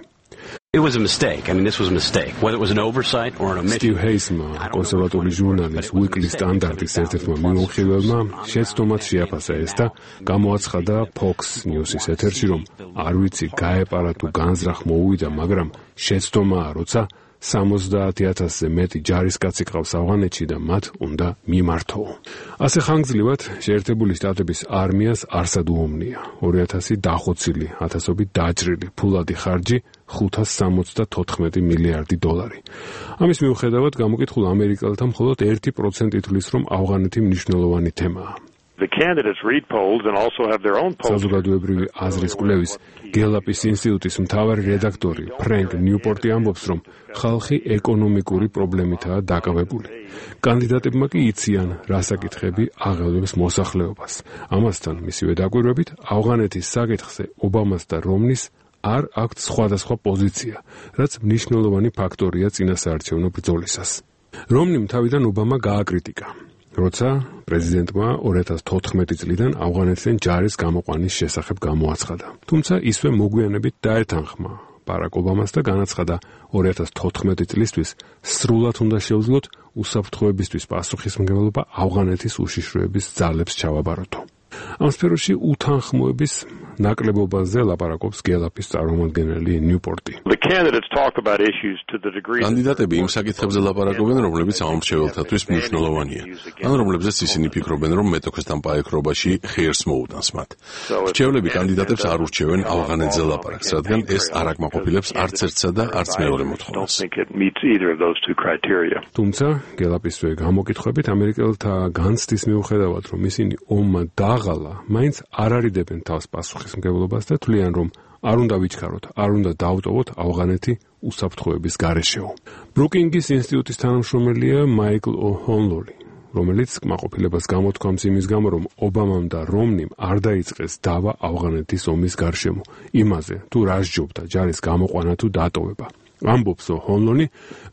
Speaker 13: It was a mistake. I mean, this was a mistake. Whether it was an oversight or an omission.
Speaker 12: Steve Haysma, კონსერვატორი ჟურნალის Weekly Standard-ის ერთ-ერთმა მიმოხილველმა შეცდომად შეაფასა ეს და გამოაცხადა Fox News-ის ეთერში, რომ არ ვიცი გაეპარა თუ განზრახ მოუვიდა, მაგრამ შეცდომაა, როცა სამოცდაათი ათასზე მეტი ჯარისკაცი ყავს ავღანეთში და მათ უნდა მიმართო. ასე ხანგრძლივად შეერთებული შტატების არმიას არსად უომნია. ორი ათასი დახოცილი, ათასობით დაჭრილი, ფულადი ხარჯი ხუთას სამოცდათოთხმეტი მილიარდი დოლარი. ამის მიუხედავად გამოკითხულ ამერიკელთა მხოლოდ ერთი პროცენტი თვლის, რომ ავღანეთი მნიშვნელოვანი თემაა.
Speaker 14: The candidates read polls and also have their own polls.
Speaker 12: საზოგადოებრივი აზრის კვლევის გელაპის ინსტიტუტის მთავარი რედაქტორი ფრენკ ნიუპორტი ამბობს, რომ ხალხი ეკონომიკური პრობლემითაა დაკავებული. კანდიდატებმა კი იციან, რა საკითხები აღელვებს მოსახლეობას. ამასთან, მისივე დაკვირვებით, ავღანეთის საკითხზე ობამას და რომნის არ აქვთ სხვადასხვა პოზიცია, რაც მნიშვნელოვანი ფაქტორია წინასაარჩევნო ბრძოლისას. რომნიმ თავიდან ობამა გააკრიტიკა, როცა პრეზიდენტმა ორი ათას თოთხმეტი წლიდან ავღანეთიდან ჯარის გამოყვანის შესახებ გამოაცხადა. თუმცა ისვე მოგვიანებით დაეთანხმა ბარაკ ობამას და განაცხადა ორი ათას თოთხმეტი წლისთვის სრულად უნდა შეუძლოთ უსაფრთხოებისთვის პასუხისმგებლობა ავღანეთის უშიშროების ძალებს ჩავაბაროთო. ამ სფეროში უთანხმოების ნაკლებობაზე ლაპარაკობს გელაპის წარმომადგენელი ნიუპორტი.
Speaker 3: კანდიდატები იმ საკითხებზე ლაპარაკობენ, რომლებიც ამომრჩეველთათვის მნიშვნელოვანია, ან რომლებზეც ისინი ფიქრობენ, რომ მეტოქესთან პაექრობაში ხერს მოუტანს მათ. რჩევლები კანდიდატებს არ ურჩევენ ავღანეთზე ლაპარაკს, რადგან ეს არ აკმაყოფილებს არც ერთსა და არც მეორე მოთხოვნას.
Speaker 12: თუმცა გელაპისვე გამოკითხვებით ამერიკელთა განცდის მიუხედავად, რომ ისინი ომმა დაღალა, მაინც არ არიდებენ თავს პასუხისმგებლობას და თვლიან, რომ არ უნდა ვიჩქაროთ, არ უნდა დავტოვოთ ავღანეთი უსაფრთხოების გარეშეო. ბრუკინგის ინსტიტუტის თანამშრომელია მაიკლ ო'ჰონლოლი, რომელიც კმაყოფილებას გამოთქვამს იმის გამო, რომ ობამამ და რომნიმ არ დაიწყეს დავა ავღანეთის ომის გარშემო, იმაზე, თუ რა სჯობდა ჯარის გამოყვანა თუ დატოვება. ამბობს ო'ჰონლოლი,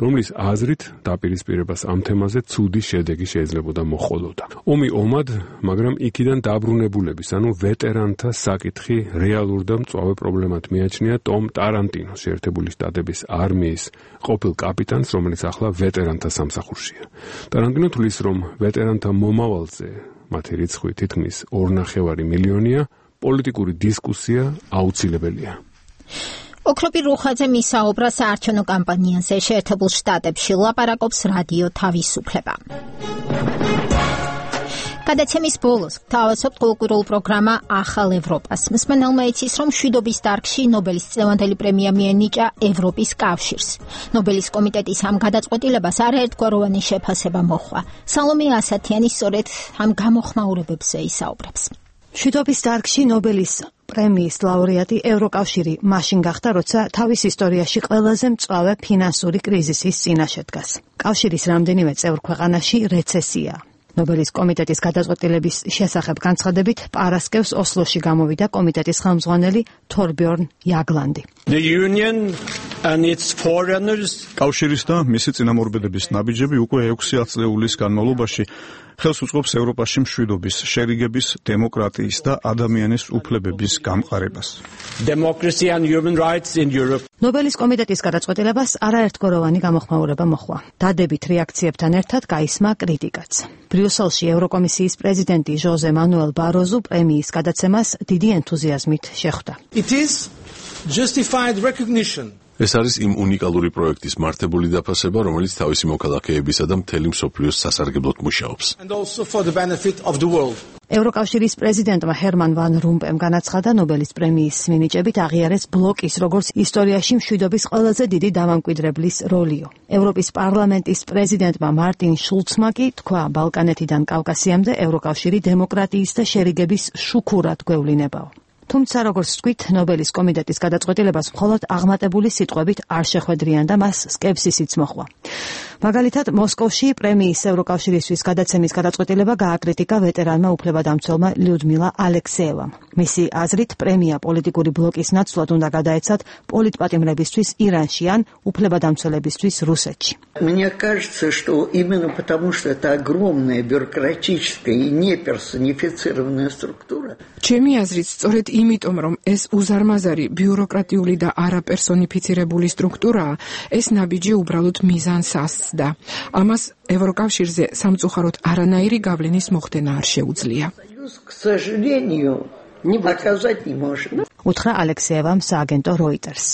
Speaker 12: რომლის აზრით დაპირისპირებას ამ თემაზე ცუდი შედეგი შეიძლებოდა მოჰყოლოდა. ომი ომად, მაგრამ იქიდან დაბრუნებულების, ანუ ვეტერანთა საკითხი რეალურ და მწვავე პრობლემად მიაჩნია ტომ ტარანტინოს, შეერთებული შტატების არმიის ყოფილ კაპიტანს, რომელიც ახლა ვეტერანთა სამსახურშია. ტარანტინო თვლის, რომ ვეტერანთა მომავალზე, მათი რიცხვი თითქმის ორნახევარი მილიონია, პოლიტიკური დისკუსია აუცილებელია.
Speaker 1: ოქროპი რუხაძე მისაუბრა საარჩევნო კამპანიაზე შეერთებულ შტატებში, ლაპარაკობს რადიო თავისუფლება. გადაცემის ბოლოს თავისუფლ კულტურულ პროგრამა ახალ ევროპას. მსმენელმა იცის, რომ მშვიდობის დარგში ნობელის წლევანდელი პრემია მიენიჭა ევროპის კავშირს. ნობელის კომიტეტის ამ გადაწყვეტილებას არაერთგვაროვანი შეფასება მოჰყვა. სალომე ასათიანი სწორედ ამ გამოხმაურებებზე ისაუბრებს.
Speaker 15: მშვიდობის დარგში ნობელის პრემიის ლაურეატი ევროკავშირი მაშინ გახდა, როცა თავის ისტორიაში ყველაზე მწვავე ფინანსური კრიზისის წინაშე დგას. კავშირის რამდენიმე წევრ ქვეყანაში რეცესია. ნობელის კომიტეტის გადაწყვეტილების შესახებ განცხადებით პარასკევს ოსლოში გამოვიდა კომიტეტის ხელმძღვანელი თორბjörn იაგლანდი.
Speaker 16: The union and its foreigners
Speaker 2: კავშირის და მისი წინამორბედების ნაბიჯები უკვე ექვსი ათწლეულის განმავლობაში ხელს უწყობს ევროპაში მშვიდობის, შერიგების, დემოკრატიის და ადამიანის უფლებების გამყარებას.
Speaker 16: Democracy and human rights in Europe.
Speaker 15: ნობელის კომიტეტის გადაწყვეტილებას არაერთგვაროვანი გამოხმაურება მოჰყვა. დადებით რეაქციებთან ერთად გაისმა კრიტიკაც. ბრიუსელში ევროკომისიის პრეზიდენტი ჟოზე მანუელ ბაროზუ პრემიის გადაცემას დიდი ენთუზიაზმით შეხვდა.
Speaker 16: It is justified recognition.
Speaker 3: ეს არის იმ უნიკალური პროექტის მართებული დაფასება, რომელიც თავისი მოქალაქეებისა და მთელი მსოფლიოს სასარგებლოდ მუშაობს.
Speaker 16: And also for the benefit of the world.
Speaker 15: ევროკავშირის პრეზიდენტმა ჰერმან ვან რომპემ განაცხადა, ნობელის პრემიის მინიჭებით აღიარეს ბლოკის როგორც ისტორიაში მშვიდობის ყველაზე დიდი დამამკვიდრებლის როლიო. ევროპის პარლამენტის პრეზიდენტმა მარტინ შულცმა კი თქვა, ბალკანეთიდან კავკასიამდე ევროკავშირი დემოკრატიის და შერიგების შუქურად გვევლინებაო. თუმცა, როგორც ვთქვით, ნობელის კომიტეტის გადაწყვეტილებას მხოლოდ აღმატებული სიტყვებით არ შეხვედრიან და მას სკეპსისიც მოჰყვა. მაგალითად, მოსკოვში პრემიის ევროკავშირისთვის გადაცემის გადაწყვეტილება გააკრიტიკა ვეტერანმა უფლებადამცველმა ლიუდმილა ალექსეევამ. მისი აზრით, პრემია პოლიტიკური ბლოკის ნაცვლად უნდა გადაეცათ პოლიტპატიმრებისთვის ირანში ან უფლებადამცველებისთვის რუსეთში.
Speaker 17: Мне кажется, что именно потому, что это огромная бюрократическая и неперсонифицированная структура.
Speaker 8: ჩემი აზრით, სწორედ იმიტომ, რომ ეს უზარმაზარი ბიუროკრატიული და არაპერსონიფიცირებული სტრუქტურაა, ეს ნაბიჯი უბრალოდ მიზანს ასწდა. ამას ევროკავშირზე სამწუხაროდ არანაირი გავლენის მოხდენა არ შეუძლია.
Speaker 17: К сожалению, не оказать не может.
Speaker 15: უთხრა ალექსეევამ სააგენტო Reuters.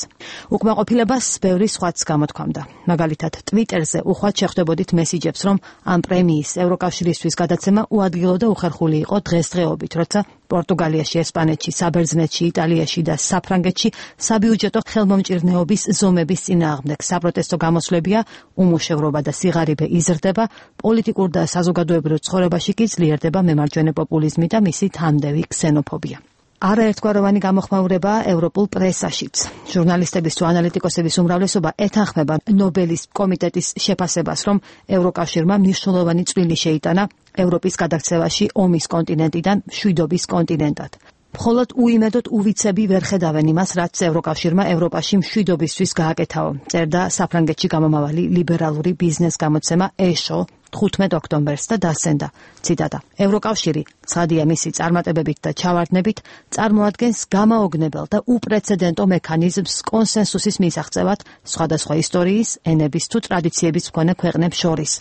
Speaker 15: უკმაყოფილებას ბევრი სხვაც გამოთქვამდა. მაგალითად, Twitter-ზე უხვად შეხვდებოდით მესიჯებს, რომ ამ პრემიის ევროკავშირისთვის გადაცემა უადგილო და უხერხული იყო დღესდღეობით, როცა პორტუგალიაში, ესპანეთში, საბერძნეთში, იტალიაში და საფრანგეთში საბიუჯეტო ხელმომჭირნეობის ზომების წინააღმდეგ საპროტესტო გამოსვლებია, უმუშევრობა და სიღარიბე იზრდება, პოლიტიკურ და საზოგადოებრივ ცხოვრებაში კი ძლიერდება მემარჯვენე პოპულიზმი და მისი თამდევი ქსენოფობია. არაერთგვაროვანი გამოხმაურება ევროპულ პრესაშიც. ჟურნალისტების თუ ანალიტიკოსების უმრავლესობა ეთანხმება ნობელის კომიტეტის შეფასებას, რომ ევროკავშირმა მნიშვნელოვანი წვლილი შეიტანა ევროპის გადაქცევაში ომის კონტინენტიდან მშვიდობის კონტინენტად. მხოლოდ უიმედოდ უვიცები ვერ ხედავენ იმას, რაც ევროკავშირმა ევროპაში მშვიდობისთვის გააკეთაო, წერდა საფრანგეთში გამომავალი ლიბერალური ბიზნეს გამოცემა ეშო თხუთმეტ ოქტომბერს და დასცენდა, ციტატა: ევროკავშირი, ცხადია მისი წარმატებებით და ჩავარდნებით, წარმოადგენს გამაოგნებელ და უპრეცედენტო მექანიზმს კონსენსუსის მისაღწევად სხვადასხვა ისტორიის, ენების თუ ტრადიციების მქონე ქვეყნებს შორის,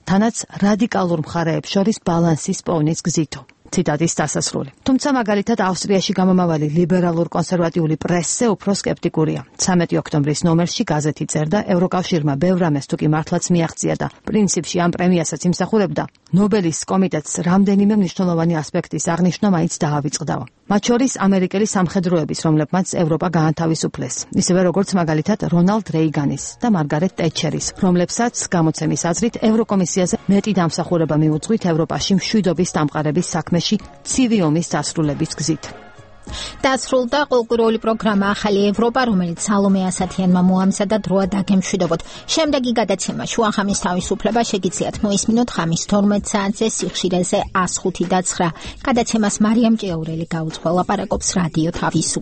Speaker 15: თანაც რადიკალურ მხარეებს შორის ბალანსის პოვნის გზითო. ციტატის დასასრული. თუმცა მაგალითად ავსტრიაში გამომავალი ლიბერალურ კონსერვატიული პრესზე უფრო სკეპტიკურია. ცამეტი ოქტომბრის ნომერში გაზეთი წერდა, ევროკავშირმა ბევრ რამეს თუ კი მართლაც მიაღწია და პრინციპში ამ პრემიასაც იმსახურებდა, ნობელის კომიტეტს რამდენიმე მნიშვნელოვანი ასპექტის აღნიშვნა მაინც დაავიწყდაო. მათ შორის ამერიკელი სამხედროების, რომლებმაც ევროპა გაანთავისუფლეს, ისევე როგორც მაგალითად რონალდ რეიგანის და მარგარეტ ტეტჩერის, რომლებსაც გამოცემის აზრით ევროკომისიაზე მეტი დამსახურება მიუძღვით ევროპაში მშვიდობის დამყარების საქმეში ცივი ომის დასრულების გზით.
Speaker 1: დასრულდა კულტურული პროგრამა ახალი ევროპა, რომელიც სალომე ასათიანმა მოამზადა დროა დაგემშვიდობოთ. შემდეგი გადაცემა შუახამის თავისუფლება შეგიძლიათ მოისმინოთ ხამის თორმეტ საათზე სიხშირეზე ას ხუთი და ცხრა. გადაცემას მარიამ ჭიაურელი გაუძღვა, ლაპარაკობს რადიო თავისუფლება.